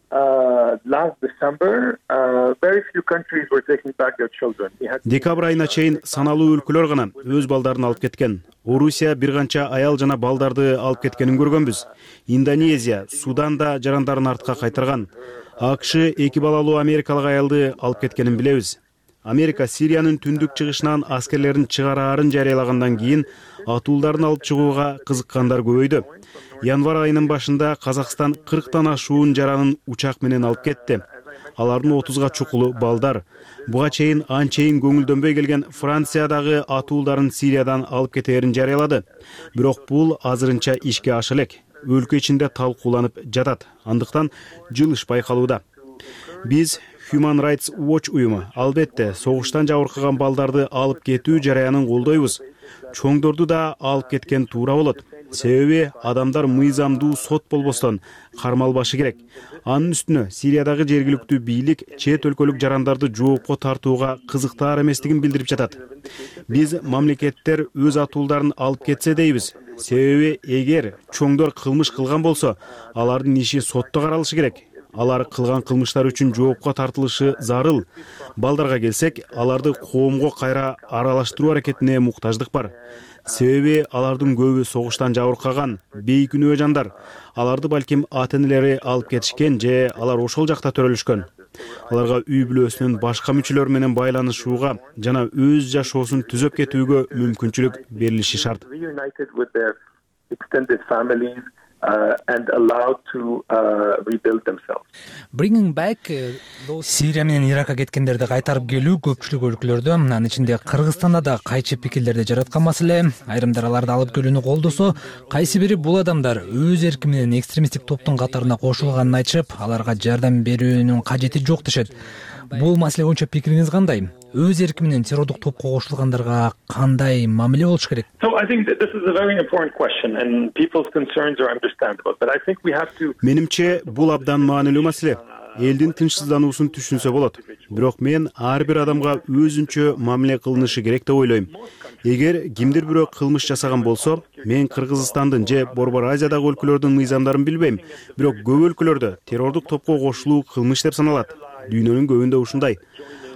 last December, very few countries were taking back their children. Декабрь айына чейин саналуу өлкөлөр гана өз балдарын алып кеткен. Орусия бир канча аял жана балдарды алып кеткенин көргөнбүз. Индонезия, Судан да жарандарын артка кайтарган. АКШ 2 балалуу америкалык аялды алып кеткенин билебиз. Америка Сириянын түндүк чыгышынан аскерлерин чыгараарын жарыялагандан кийин атуулдарын алып чыгууга кызыккандар көбөйдү. Январь айынын башында Казакстан 40тан ашуун жаранын учак менен алып кетти. Алардын 30га чукулу балдар. Буга чейин анчейин көңүлдөнбөй келген Франциядагы атуулдарын Сириядан алып кетээрин жарыялады. Бирок бул азырынча ишке аша элек. Өлкө ичинде талкууланып жатат. Андыктан жылыш байкалууда. Биз Human Rights Watch уюму албетте согуштан жабыркаган балдарды алып кетүү жараянын колдойбуз. Чоңдорду да алып кеткен туура болот. Себеби адамдар мыйзамдуу сот болбостон кармалбашы керек. Анын үстүнө Сириядагы жергиликтүү бийлик чет өлкөлүк жарандарды жоопко тартууга кызыктаар эместигин билдирип жатат. Биз мамлекеттер өз атуулдарын алып кетсе дейбиз. Себеби эгер чоңдор кылмыш кылган болсо, алардын иши сотто каралышы керек. Алар кылган кылмыштар үчүн жоопко тартылышы зарыл. Балдарга келсек, аларды коомго кайра аралаштыруу аракетине муктаждык бар. Себеби алардын көбү согуштан жабыркаган, бейкүнөө жандар. Аларды балким ата-энелери алып кетишкен же алар ошол жакта төрөлүшкөн. Аларга үй бүлөсүнүн башка мүчөлөрү менен байланышууга жана өз жашоосун түзөп кетүүгө мүмкүнчүлүк берилиши шарт. And allowed to rebuild themselves. Bringing back Сирия менен Иракка кеткендерди кайтарып келүү көпчүлүк өлкөлөрдө, анын ичинде Кыргызстанда да кайчы пикирлерди жараткан маселе. Айрымдар аларды алып келүүнү колдосо, кайсы бири бул адамдар өз эрки менен экстремисттик топтун катарына кошулганын айтышып, аларга жардам берүүнүн кажети жок дешет. Бул маселе боюнча пикириңиз кандай? Өз эрки менен террордук топко кошулгандарга кандай мамиле болуш керек? So I think that this is a very important question and people's concerns are understandable, but I think we have to. Менимче бул абдан маанилүү маселе. Элдин тынчсыздануусун түшүнсө болот. Бирок мен ар бир адамга өзүнчө мамиле кылынышы керек деп ойлойм. Эгер кимдир бирөө кылмыш жасаган болсо, мен Кыргызстандын же Борбор Азиядагы өлкөлөрдүн мыйзамдарын билбейм, бирок көп өлкөлөрдө террордук топко кошулуу кылмыш деп саналат. Дүйнөнүн көбүндө ушундай.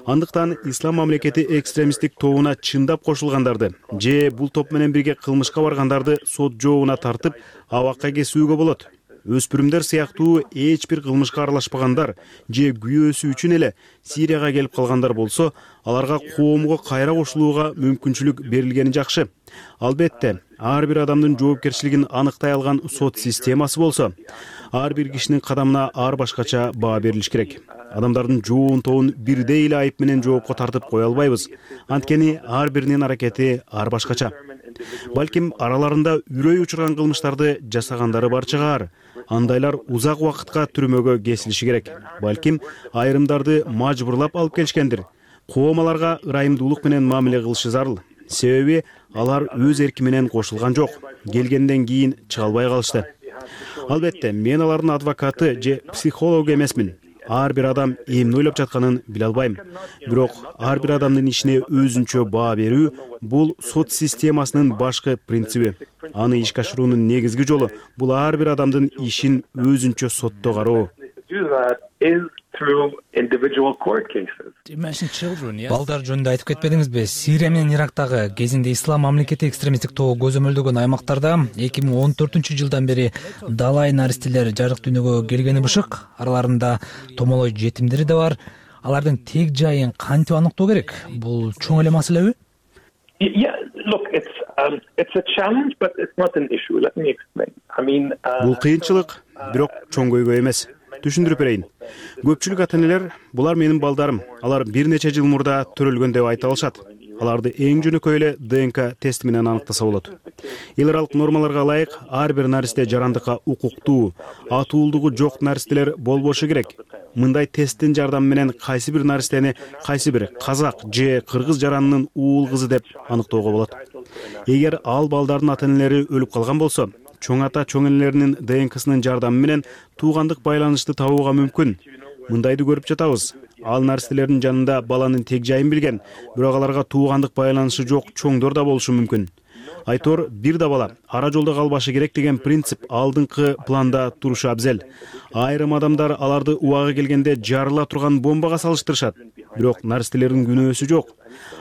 Андыктан ислам мамлекети экстремисттик тобуна чындап кошулгандарды же бул топ менен бирге кылмышка баргандарды сот жообуна тартып, абакка кесүүгө болот. Өспүрүмдөр сыяктуу эч бир кылмышка аралашпагандар же күйөөсү үчүн эле Сирияга келип калгандар болсо, аларга коомго кайра кошулууга мүмкүнчүлүк берилгени жакшы. Албетте, ар бир адамдын жоопкерчилигин аныктай алган сот системасы болсо, ар бир кишинин кадамына ар башкача баа берилиш керек. Адамдардын жоон тобун бирдей эле айып менен жоопко тартып кое албайбыз. Анткени ар биринин аракети ар башкача. Балким араларында үрөй учурган кылмыштарды жасагандары бар чыгар. Андайлар узак убакытка түрмөгө кесилиши керек. Балким айрымдарды мажбурлап алып келишкендир. Коом аларга ырайымдуулук менен мамиле кылышы зарыл. Себеби алар өз эрки менен кошулган жок. Келгенден кийин чыга албай калышты. Албетте, мен алардын адвокаты же психологу эмесмин. Ар бир адам эмне ойлоп жатканын биле албайм. Бирок ар бир адамдын ишине өзүнчө баа берүү бул сот системасынын башкы принциби. Аны ишке ашыруунун негизги жолу бул ар бир адамдын ишин өзүнчө сотто кароо. Балдар жөнүндө айтып кетпедиңизби? Сирия менен Ирактагы кезинде ислам мамлекети экстремисттик тобу көзөмөлдөгөн аймактарда 2014-жылдан бери далай наристелер жарык дүйнөгө келгени бышык. Араларында томолой жетимдери да бар. Алардын тег жайын кантип аныктоо керек? Бул чоң эле маселеби? Yeah, look, it's a challenge, but it's not an issue. Let me explain. Бул кыйынчылык, бирок чоң көйгөй эмес. Түшүндүрүп берейин. Көпчүлүк ата-энелер булар менин балдарым, алар бир нече жыл мурда төрөлгөн деп айта алышат. Аларды эң жөнөкөй эле ДНК тест менен аныктаса болот. Эл аралык нормаларга ылайык ар бир наристе жарандыкка укуктуу, атуулдугу жок наристелер болбошу керек. Мындай тесттин жардамы менен кайсы бир наристени кайсы бир казак же кыргыз жаранынын уул кызы деп аныктоого болот. Эгер ал балдардын ата-энелери өлүп калган болсо, чоң ата чоң энелеринин ДНКсынын жардамы менен туугандык байланышты табууга мүмкүн. Мындайды көрүп жатабыз. Ал наристелердин жанында баланын тег жайын билген, бирок аларга туугандык байланышы жок чоңдор да болушу мүмкүн. Айтор бир да бала ара жолдо калбашы керек деген принцип алдыңкы планда турушу абзел. Айрым адамдар аларды убагы келгенде жарыла турган бомбага салыштырышат. Бирок наристелердин күнөөсү жок.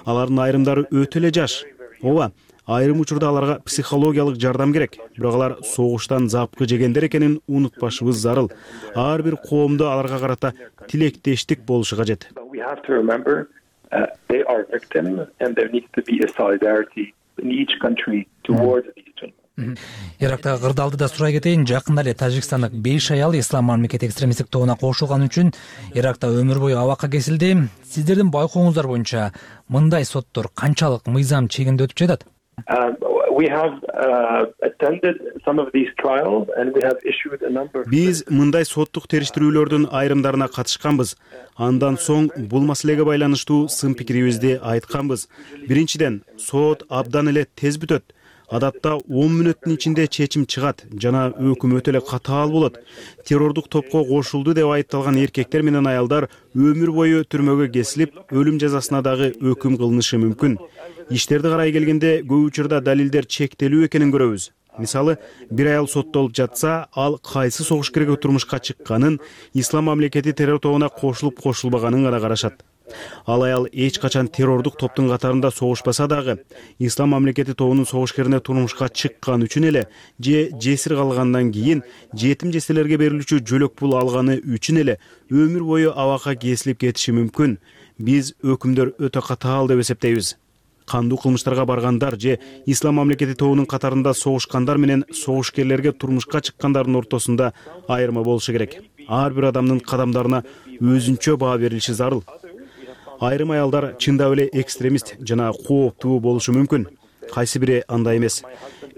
Алардын айрымдары өтө эле жаш. Ооба, айрым учурда аларга психологиялык жардам керек. Бирок алар согуштан запкы жегендер экенин унутпашыбыз зарыл. Ар бир коомдо аларга карата тилектештик болушу кажет. We have to remember they are victims and there needs to be a solidarity in each country towards these children. Ирактагы кырдаалды сурай кетейин. Жакында эле Тажикстандык 5 аял Ислам мамлекети экстремисттик тобуна кошулганы үчүн Иракта өмүр бою абакка кесилди. Сиздердин байкооңуздар боюнча мындай соттор канчалык мыйзам чегинде өтүп жатат? We have attended some of these trials and we have issued a number. Биз мындай соттук териштирүүлөрдүн айрымдарына катышканбыз. Андан соң бул маселеге байланыштуу сын пикирибизди айтканбыз. Биринчиден, сот абдан эле тез бүтөт. Адатта 10 мүнөттүн ичинде чечим чыгат жана өкүм өтө эле катаал болот. Террордук топко кошулду деп айыпталган эркектер менен аялдар өмүр бою түрмөгө кесилип, өлүм жазасына дагы өкүм кылынышы мүмкүн. Иштерди карай келгенде көп учурда далилдер чектелүү экенин көрөбүз. Мисалы, бир аял соттолуп жатса, ал кайсы согуш керекке турмушка чыкканын, Ислам мамлекети террор тобуна кошулуп кошулбаганын гана карашат. Ал аял эч качан террордук топтун катарында согушпаса дагы, Ислам мамлекети тобунун согушкерине турмушка чыккан үчүн эле же жесир калгандан кийин жетим жеселерге берилүүчү жөлөк пул алганы үчүн эле өмүр бою абакка кесилип кетиши мүмкүн. Биз өкүмдөр өтө катаал деп эсептейбиз. Кандуу кылмыштарга баргандар же Ислам мамлекети тобунун катарында согушкандар менен согушкерлерге турмушка чыккандардын ортосунда айырма болушу керек. Ар бир адамдын кадамдарына өзүнчө баа берилиши зарыл. Айрым аялдар чындап эле экстремист жана кооптуу болушу мүмкүн. Кайсы бири андай эмес.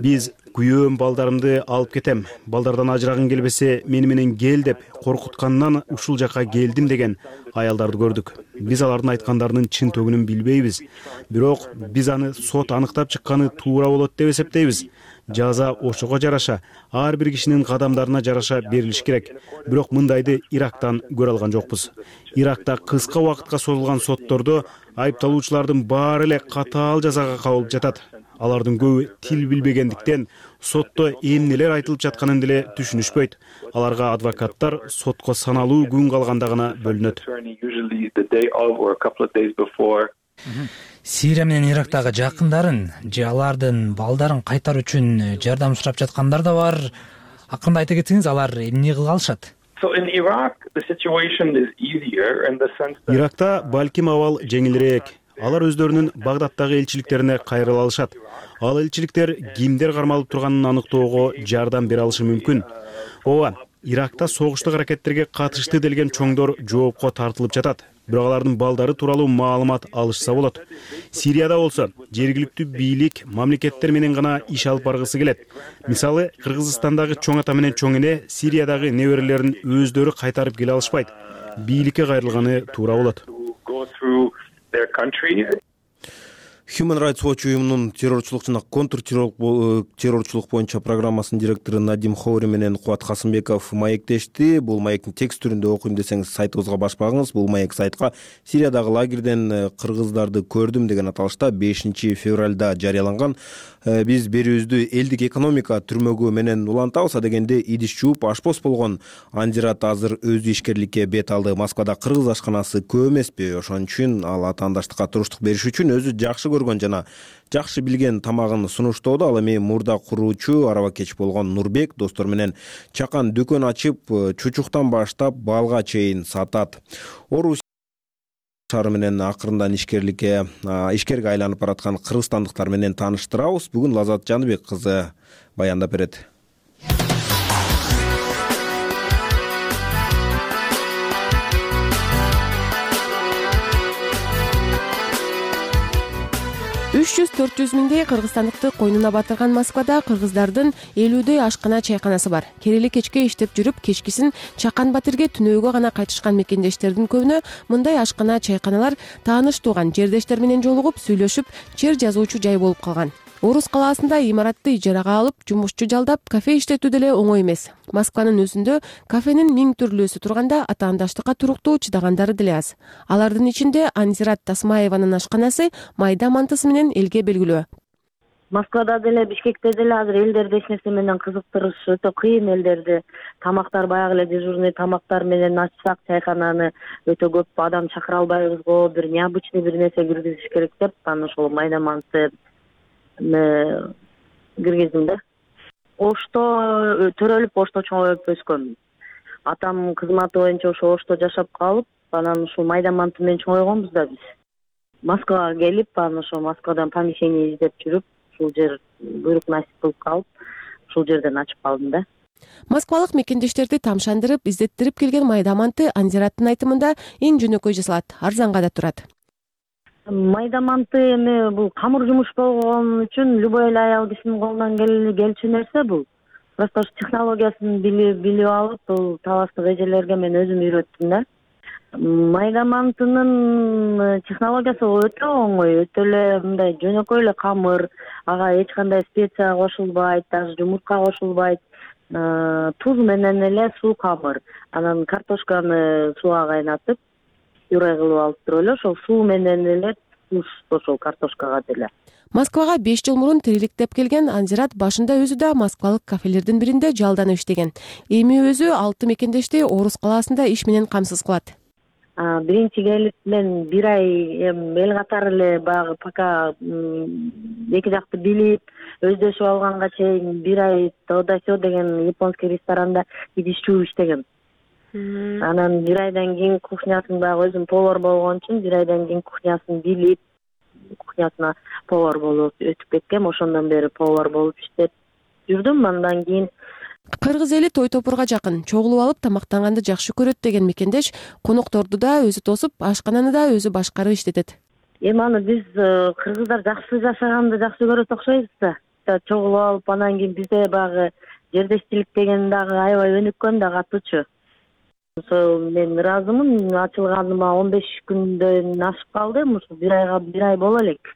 Биз күйөөм балдарымды алып кетем, балдардан ажырагың келбесе мени менен кел деп коркуткандан ушул жака келдим деген аялдарды көрдүк. Биз алардын айткандарынын чын төгүнүн билбейбиз. Бирок биз аны сот аныктап чыкканы туура болот деп эсептейбиз. Жаза ошого жараша, ар бир кишинин кадамдарына жараша берилиш керек. Бирок мындайды Ирактан көрө алган жокпуз. Иракта кыска убакытка созулган соттордо айыпталуучулардын баары эле катаал жазага кабылып жатат. Алардын көбү тил билбегендиктен сотто эмнелер айтылып жатканын деле түшүнүшпөйт. Аларга адвокаттар сотко саналуу күн калганда гана бөлүнөт. Сирия менен Ирактагы жакындарын же алардын балдарын кайтаруу үчүн жардам сурап жаткандар да бар. Акырында айта кетсеңиз, алар эмне кыла алышат? Иракта балким абал жеңилирээк. Алар өздөрүнүн Багдадтагы элчиликтерине кайрыла алышат. Ал элчиликтер кимдер кармалып турганын аныктоого жардам бере алышы мүмкүн. Ооба, Иракта согуштук аракеттерге катышты делген чоңдор жоопко тартылып жатат. Бирок алардын балдары тууралуу маалымат алышса болот. Сирияда болсо, жергиликтүү бийлик мамлекеттер менен гана иш алып баргысы келет. Мисалы, Кыргызстандагы чоң ата менен чоң эне Сириядагы неберелерин өздөрү кайтарып келе алышпайт. Бийликке кайрылганы туура болот. Human Rights Watch уюмунун террорчулук жана контртеррорчулук боюнча программасынын директору Надим Хоури менен Кубат Касымбеков маектешти. Бул маектин текст түрүндө окуйм десеңиз сайтыбызга баш багыңыз. Бул маек сайтка Сириядагы лагерден кыргыздарды көрдүм деген аталышта 5 февралда жарыяланган. Биз берүүбүздү элдик экономика түрмөгү менен улантабыз дегенде идиш жууп ашпоз болгон Анжират азыр өз ишкерликке бет алды. Москвада кыргыз ашканасы көп эмеспи? Ошон үчүн ал атаандаштыкка туруштук бериш үчүн өзү жакшы көргөн жана жакшы билген тамагын сунуштоодо. Ал эми мурда куруучу арабакеч болгон Нурбек достор менен чакан дүкөн ачып, чучуктан баштап балга чейин сатат. шаары менен акырындан ишкерге айланып бараткан кыргызстандыктар менен тааныштырабыз. Бүгүн Лазат Жаныбек кызы баяндап берет. Үч 300-400 миңдей кыргызстандыкты койнуна батырган Москвада кыргыздардын 50дөй ашкана чайканасы бар. Керели кечке иштеп жүрүп, кечкисин Чакан Батирге түнөөгө гана кайтышкан мекендештердин көбүнө мындай ашкана чайканалар тааныш тууган жердештер менен жолугуп, сүйлөшүп, чер жазуучу жай болуп калган. Орус калаасында имаратты ижарага алып, жумушчу жалдап, кафе иштетүү деле оңой эмес. Москванын өзүндө кафенин 1000 түрлүүсү турганда атаандаштыкка туруктуу чыдагандары деле аз. Алардын ичинде Анзират Тасмаеванын ашканасы майда мантысы менен элге белгилүү. Москвада деле, Бишкекте деле азыр элдерди эч нерсе менен кызыктырыш өтө кыйын. Элдерди тамактар баягы эле дежурный тамактар менен ачсак чайкананы өтө көп адам чакыра албайбыз го, бир необычный бир нерсе киргизиш керек деп, анан ошол майда манты киргиздим да. Ошто төрөлүп, Ошто чоңоюп өскөм. Атам кызматы боюнча ошо Ошто жашап калып, анан ушул майда манты менен чоңойгонбуз да биз. Москвага келип, анан ошо Москвадан помещение издеп жүрүп, ушул жер буйрук насип кылып калып, ушул жерден ачып калдым да. Москвалык мекендештерди тамшандырып, издеттирип келген майда манты Анзираттын айтымында эң жөнөкөй жасалат, арзанга да турат. Майда манты эми бул камыр жумуш болгон үчүн любой эле аял кишинин колунан келчү нерсе бул. Просто технологиясын билип алып, бул талаштык эжелерге мен өзүм үйрөттүм да. Майда мантынын технологиясы өтө оңой, өтө эле мындай жөнөкөй эле камыр, ага эч кандай специя кошулбайт, даже жумурка кошулбайт. Туз менен эле суу камыр. Анан картошканы сууга кайнатып, пюре кылып алып туруп эле ошол суу менен эле туз ошол картошкага деле. Москвага 5 жыл мурун тириликтеп келген Анзират башында өзү да москвалык кафелердин биринде жалданып иштеген. Эми өзү 6 мекендешти Орус калаасында иш менен камсыз кылат. Биринчи келип мен бир ай эл катары эле баягы пока эки жакты билип, өздөшүп алганга чейин бир ай Тодасё деген японский ресторанда идишчүү иштегем. Анан бир айдан кийин кухнясын баягы өзүм повар болгон үчүн бир айдан кийин кухнясын билип, кухнясына повар болуп өтүп кеткем. Ошондон бери повар болуп иштеп жүрдүм. Андан кийин кыргыз эли той топурга жакын, чогулуп алып тамактанганды жакшы көрөт деген мекендеш конокторду да өзү тосуп, ашкананы да өзү башкарып иштетет. Эми аны биз кыргыздар жакшы жашаганды жакшы көрөт окшойбуз да. Чогулуп алып, анан кийин бизде баягы жердештилик деген дагы аябай өнүккөн да катуучу. Ошо мен ыраазымын, ачылганыма 15 күндөн ашып калды, ушу бир ай боло элек.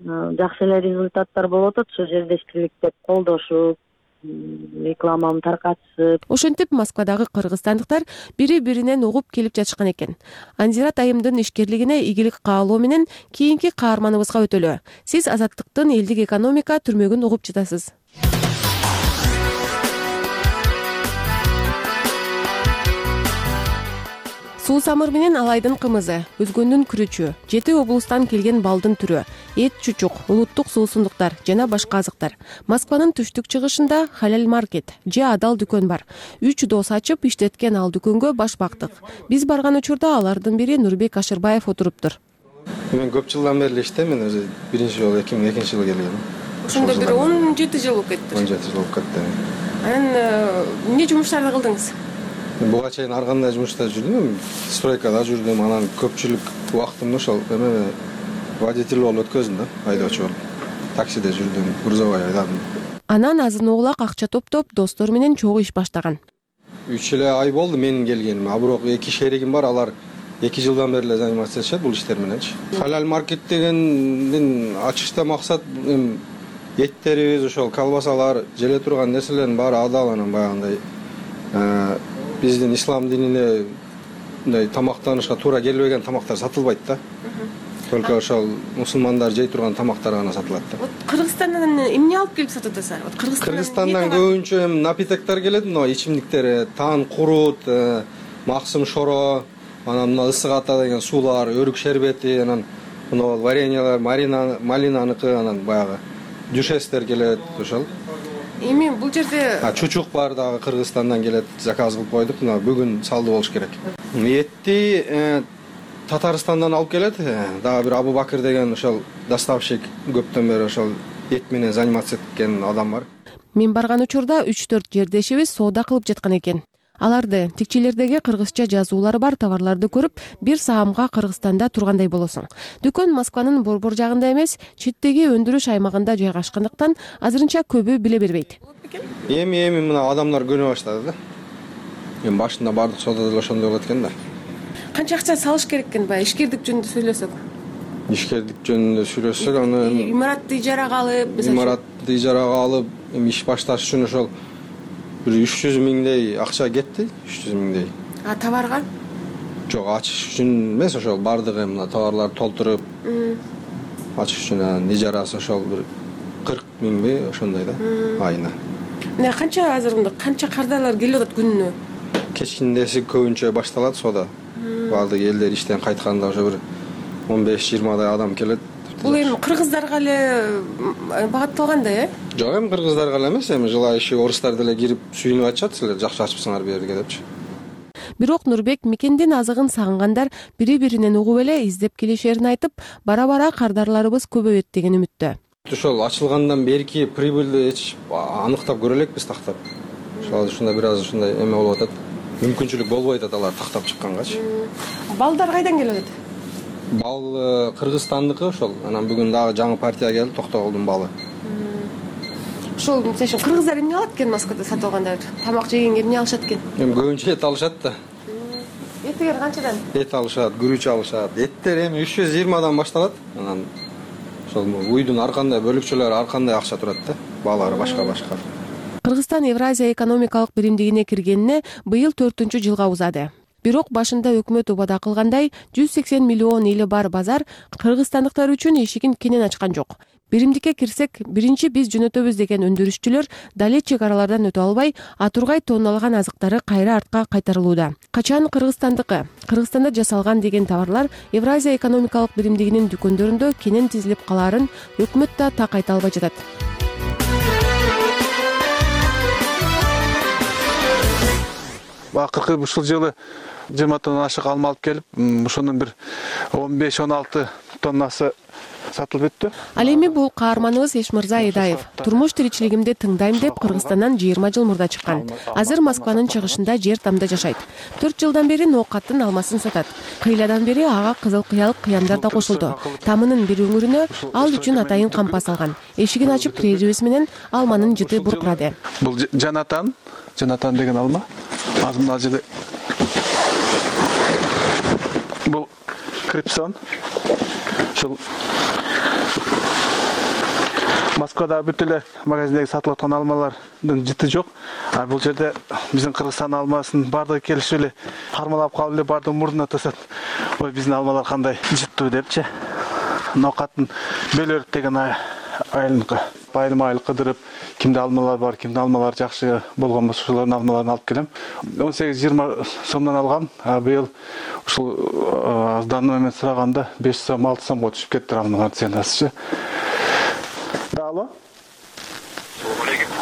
Жакшы эле результаттар болуп атат, ошо жердештилик деп колдошуп, рекламаны таркатышып. Ошентип Москвадагы кыргызстандыктар бири-биринен угуп келип жатышкан экен. Анзират айымдын ишкерлигине ийгилик каалоо менен кийинки каарманыбызга өтөлү. Сиз азаттыктын элдик экономика түрмөгүн угуп жатасыз. Суу самыр менен алайдын кымызы, өзгөндүн күрүчү, 7 облустан келген балдын түрү, эт чучук, улуттук суусундуктар жана башка азыктар. Москванын түштүк чыгышында халал маркет же адал дүкөн бар. 3 дос ачып иштеткен ал дүкөнгө баш бактык. Биз барган учурда алардын бири Нурбек Ашырбаев отуруптур. Мен көп жылдан бери иштейм, өзү биринчи жолу 2002 жылы келгем. Ошондо бир 17 жыл болуп кетти. 17 жыл болуп кетти. Анан эмне жумуштарды кылдыңыз? Буга чейин ар кандай жумушта жүрдүм, стройкада жүрдүм, анан көпчүлүк убактымды ошол эме водитель болуп өткөздүм да, айдоочу болуп. Таксиде жүрдүм, грузовой айдадым. Анан азын оолак акча топтоп, достору менен чогуу иш баштаган. 3 эле ай болду менин келгениме, бирок 2 шеригим бар, алар 2 жылдан бери эле заниматься этишет бул иштер мененчи. Халал маркет дегендин ачышта максат эттерибиз, ошол колбасалар, желе турган нерселердин баары адал, анан баягындай биздин ислам динине мындай тамактанышка туура келбеген тамактар сатылбайт да. Только ошол мусулмандар жей турган тамактар гана сатылат да. Кыргызстандан эмне алып келип сатып атасызар? Кыргызстандан көбүнчө напитоктор келет, мына ичимдиктер, тан курут, максым шоро, анан мына ысык ата деген суулар, өрүк шербети, анан мына вареньялар, малинаныкы, анан баягы дюшестер келет, ошол. Эми бул жерде чучук бар дагы Кыргызстандан келет, заказ кылып койдук. Мына бүгүн салды болуш керек. Этти Татарстандан алып келет. Дагы бир Абу Бакыр деген ошол доставщик көптөн бери ошол эт менен заниматься эткен адам бар. Мен барган учурда 3-4 жердешибиз соода кылып жаткан экен. Аларды текчелердеги кыргызча жазуулары бар товарларды көрүп, бир саамга Кыргызстанда тургандай болосуң. Дүкөн Москванын борбор жагында эмес, четтеги өндүрүш аймагында жайгашкандыктан азырынча көбү биле бербейт. Эми мына адамдар көнө баштады да. Эми башында бардык соодада деле ошондой болот экен да. Канча акча салыш керек экен баягы ишкердик жөнүндө сүйлөсөк? Ишкердик жөнүндө сүйлөсөк, аны имаратты ижарага алып, имаратты ижарага алып, эми иш башташ үчүн ошол бир 300 миңдей акча кетти, 300 миңдей. А товарга? Жок, ачыш үчүн эмес, ошол бардыгы мына товарларды толтуруп ачыш үчүн ижарасы ошол бир 40 миңби ошондой да айына. Мына канча кардарлар келип атат күнүнө? Кечиндеси көбүнчө башталат соода. Бардык элдер иштен кайтканда уже бир 15-20 адам келет. Бул эми кыргыздарга эле багытталган да, э? Жок, эми кыргыздарга эле эмес, эми желающий орустар деле кирип сүйүнүп атышат, силер жакшы ачыпсыңар бу жерге депчи. Бирок Нурбек мекендин азыгын сагынгандар бири-биринен угуп эле издеп келишерин айтып, бара-бара кардарларыбыз көбөйөт деген үмүттө. Ошол ачылгандан берки прибыльди аныктап көрө элекпиз тактап. Ошол ушундай бир аз ушундай эме болуп атат. Мүмкүнчүлүк болбой атат алар тактап чыккангачы. Балдар кайдан келип атат? Бал Кыргызстандыкы ошол. Анан бүгүн дагы жаңы партия келди, Токтогулдун балы. Ошол мисалы үчүн кыргыздар эмне алат экен Москвада сатып алгандар? Тамак жегенге эмне алышат экен? Эми көбүнчө эт алышат да. Этигер канчадан? Эт алышат, күрүч алышат. Эттер эми 320 башталат. Анан ошол уйдун ар кандай бөлүкчөлөрү ар кандай акча турат да. Баалары башка. Кыргызстан Евразия экономикалык биримдигине киргенине быйыл 4-жылга узады. Бирок башында өкмөт убада кылгандай 180 миллион эли бар базар кыргызстандыктар үчүн эшигин кенен ачкан жок. Биримдикке кирсек, биринчи биз жөнөтөбүз деген өндүрүшчүлөр дале чек аралардан өтө албай, атургай тонналаган азыктары кайра артка кайтарылууда. Качан Кыргызстандыкы, Кыргызстанда жасалган деген товарлар Евразия экономикалык биримдигинин дүкөндөрүндө кенен тизилип калаарын өкмөт да так айта албай жатат. Акыркы ушул жылы 20 тонна ашык алма алып келип, ошонун бир 15-16 тоннасы сатылып өттү. Ал эми бул каарманыбыз Эшмырза Эдаев. Турмуш тиричилигимди тыңдайм деп Кыргызстандан 20 жыл мурда чыккан. Азыр Москванын чыгышында жер тамда жашайт. 4 жылдан бери ноокаттын алмасын сатат. Кыйладан бери ага кызыл кыялык кыяндар да кошулду. Тамынын бир өңүрүнө ал үчүн атайын кампа салган. Эшигин ачып киребиз менен алманын жыты буркурады. Бул Жанатан деген алма. Азмын ажыды. Бул Крипсон. Ушул Москвада бүт эле магазиндеги сатылып аткан алмалардын жыты жок. А бул жерде биздин Кыргызстан алмасын бардыгы келишип эле кармалап калып эле бардыгы мурдуна тосот. Ой, биздин алмалар кандай жыттуу депчи. Ноокаттын бөлөрүп деген айылынкы. Байырма айыл кыдырып, кимде алмалар бар, кимде алмалар жакшы болгон болсо ошолордун алмаларын алып келем. 18-20 сомдон алгам, а быйыл ушул аздан эме сураганда 5 сом, 6 сомго түшүп кетти алмалар ценасы. Алло.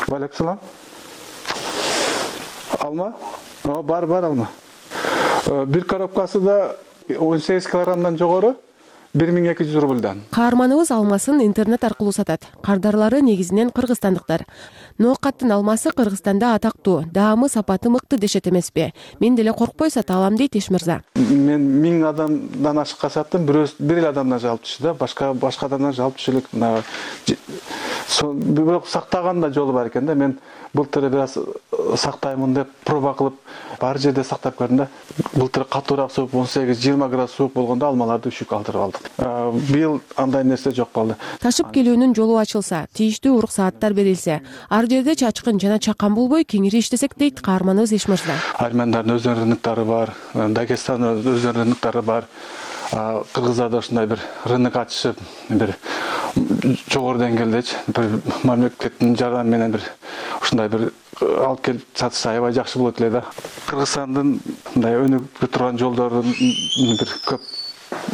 Валейкум салам. Алма? Бар алма. Бир коробкасы да 18 килограммдан жогору 1200 рубльдан. Каарманыбыз алмасын интернет аркылуу сатат. Кардарлары негизинен кыргызстандыктар. Ноокаттын алмасы Кыргызстанда атактуу, даамы сапаты мыкты дешет эмеспи? Мен деле коркпой сата алам дейт Эшмырза. Мен 1000 адамдан ашыкка саттым, бир эле адамдан жалып түштү да, башка адамдан жалып түшүлүк. Бирок сактаган да жолу бар экен да. Мен былтыр бир аз сактаймын деп проба кылып бар жерде сактап көрдүм да. Былтыр катуураак суук 18-20 градус суук болгондо алмаларды үшүк алдырып алдык. Быйыл андай нерсе жок болду. Ташып келүүнүн жолу ачылса, тийиштүү уруксааттар берилсе, ар жерде чачкын жана чакан болбой кеңири иштесек дейт каарманыбыз Эшмырза. Армяндардын өздөрүнүн рыноктору бар, Дагестандын өздөрүнүн рыноктору бар. Кыргыздарда ушундай бир рынок ачышып, бир жогору деңгээлдечи, бир мамлекеттин жардамы менен бир ушундай бир алып келип сатса аябай жакшы болот эле да. Кыргызстандын мындай өнүгүп турган жолдорун бир көп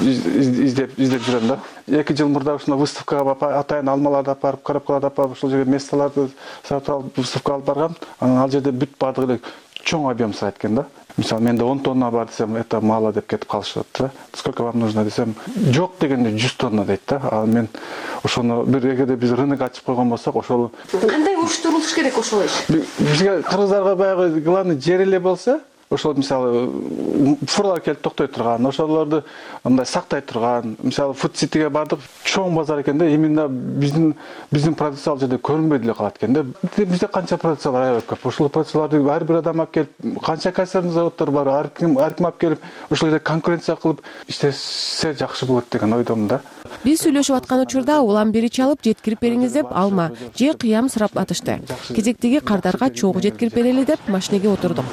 издеп жүрөм да. 2 жыл мурда ушундай выставкага атайын алмаларды алып барып, коробкаларды алып барып, ушул жерге месталарды сатып алып, выставка алып баргам. Анан ал жерде бүт бардыгы чоң объем сурайт экен да. Мисалы менде 10 тонна бар десем, это мало деп кетип калышат да. Сколько вам нужно десем, жок дегенде 100 тонна дейт да. А мен ошону бир эгерде биз рынок ачып койгон болсок, ошол кандай уруштурулуш керек ошол иш? Бизге кыргыздарга баягы главный жер эле болсо, ошол мисалы фурлар келип токтой турган, ошолорду мындай сактай турган, мисалы Food Cityге бардык, чоң базар экен да, именно биздин продукция ал жерде көрүнбөй деле калат экен да. Бизде канча продукциялар аябай көп. Ошол продукцияларды ар бир адам алып келип, канча консервный заводдор бар, ар ким алып келип, ошол жерде конкуренция кылып иштесе жакшы болот деген ойдомун да. Биз сүйлөшүп аткан учурда улам бери чалып жеткирип бериңиз деп алма же кыям сурап атышты. Кезектеги кардарга чогуу жеткирип берели деп машинеге отурдук.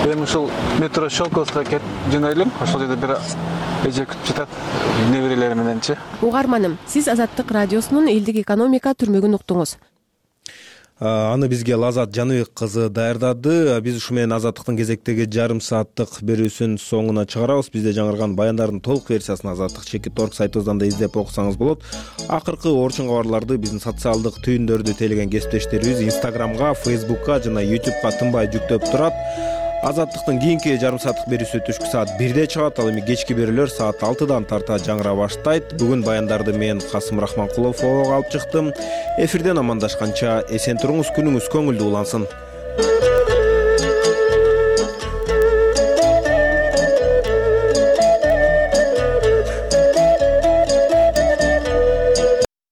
Эми ушул метро Щелковского кетип жөнөйлүм. Ошол жерде бир эже күтүп жатат неберелери мененчи. Угарманым, сиз Азаттык радиосунун элдик экономика түрмөгүн уктуңуз. Аны бизге Лазат Жаныбек кызы даярдады. Биз ушу менен Азаттыктын кезектеги жарым сааттык берүүсүн соңуна чыгарабыз. Бизде жаңырган баяндардын толук версиясын Азаттык /org сайтыбыздан да издеп окусаңыз болот. Акыркы орчун кабарларды биздин социалдык түйүндөрдү тейлеген кесиптештерибиз Instagramга, Facebookка жана YouTubeга тынбай жүктөп турат. Азаттыктын кийинки жарым сааттык берүүсү түшкү саат 1де чыгат. Ал эми кечки берүүлөр саат 6дан тарта жаңыра баштайт. Бүгүн баяндарды мен Касым Рахманкулов алып чыктым. Эфирден амандашканча эсен туруңуз, күнүңүз көңүлдүү улансын.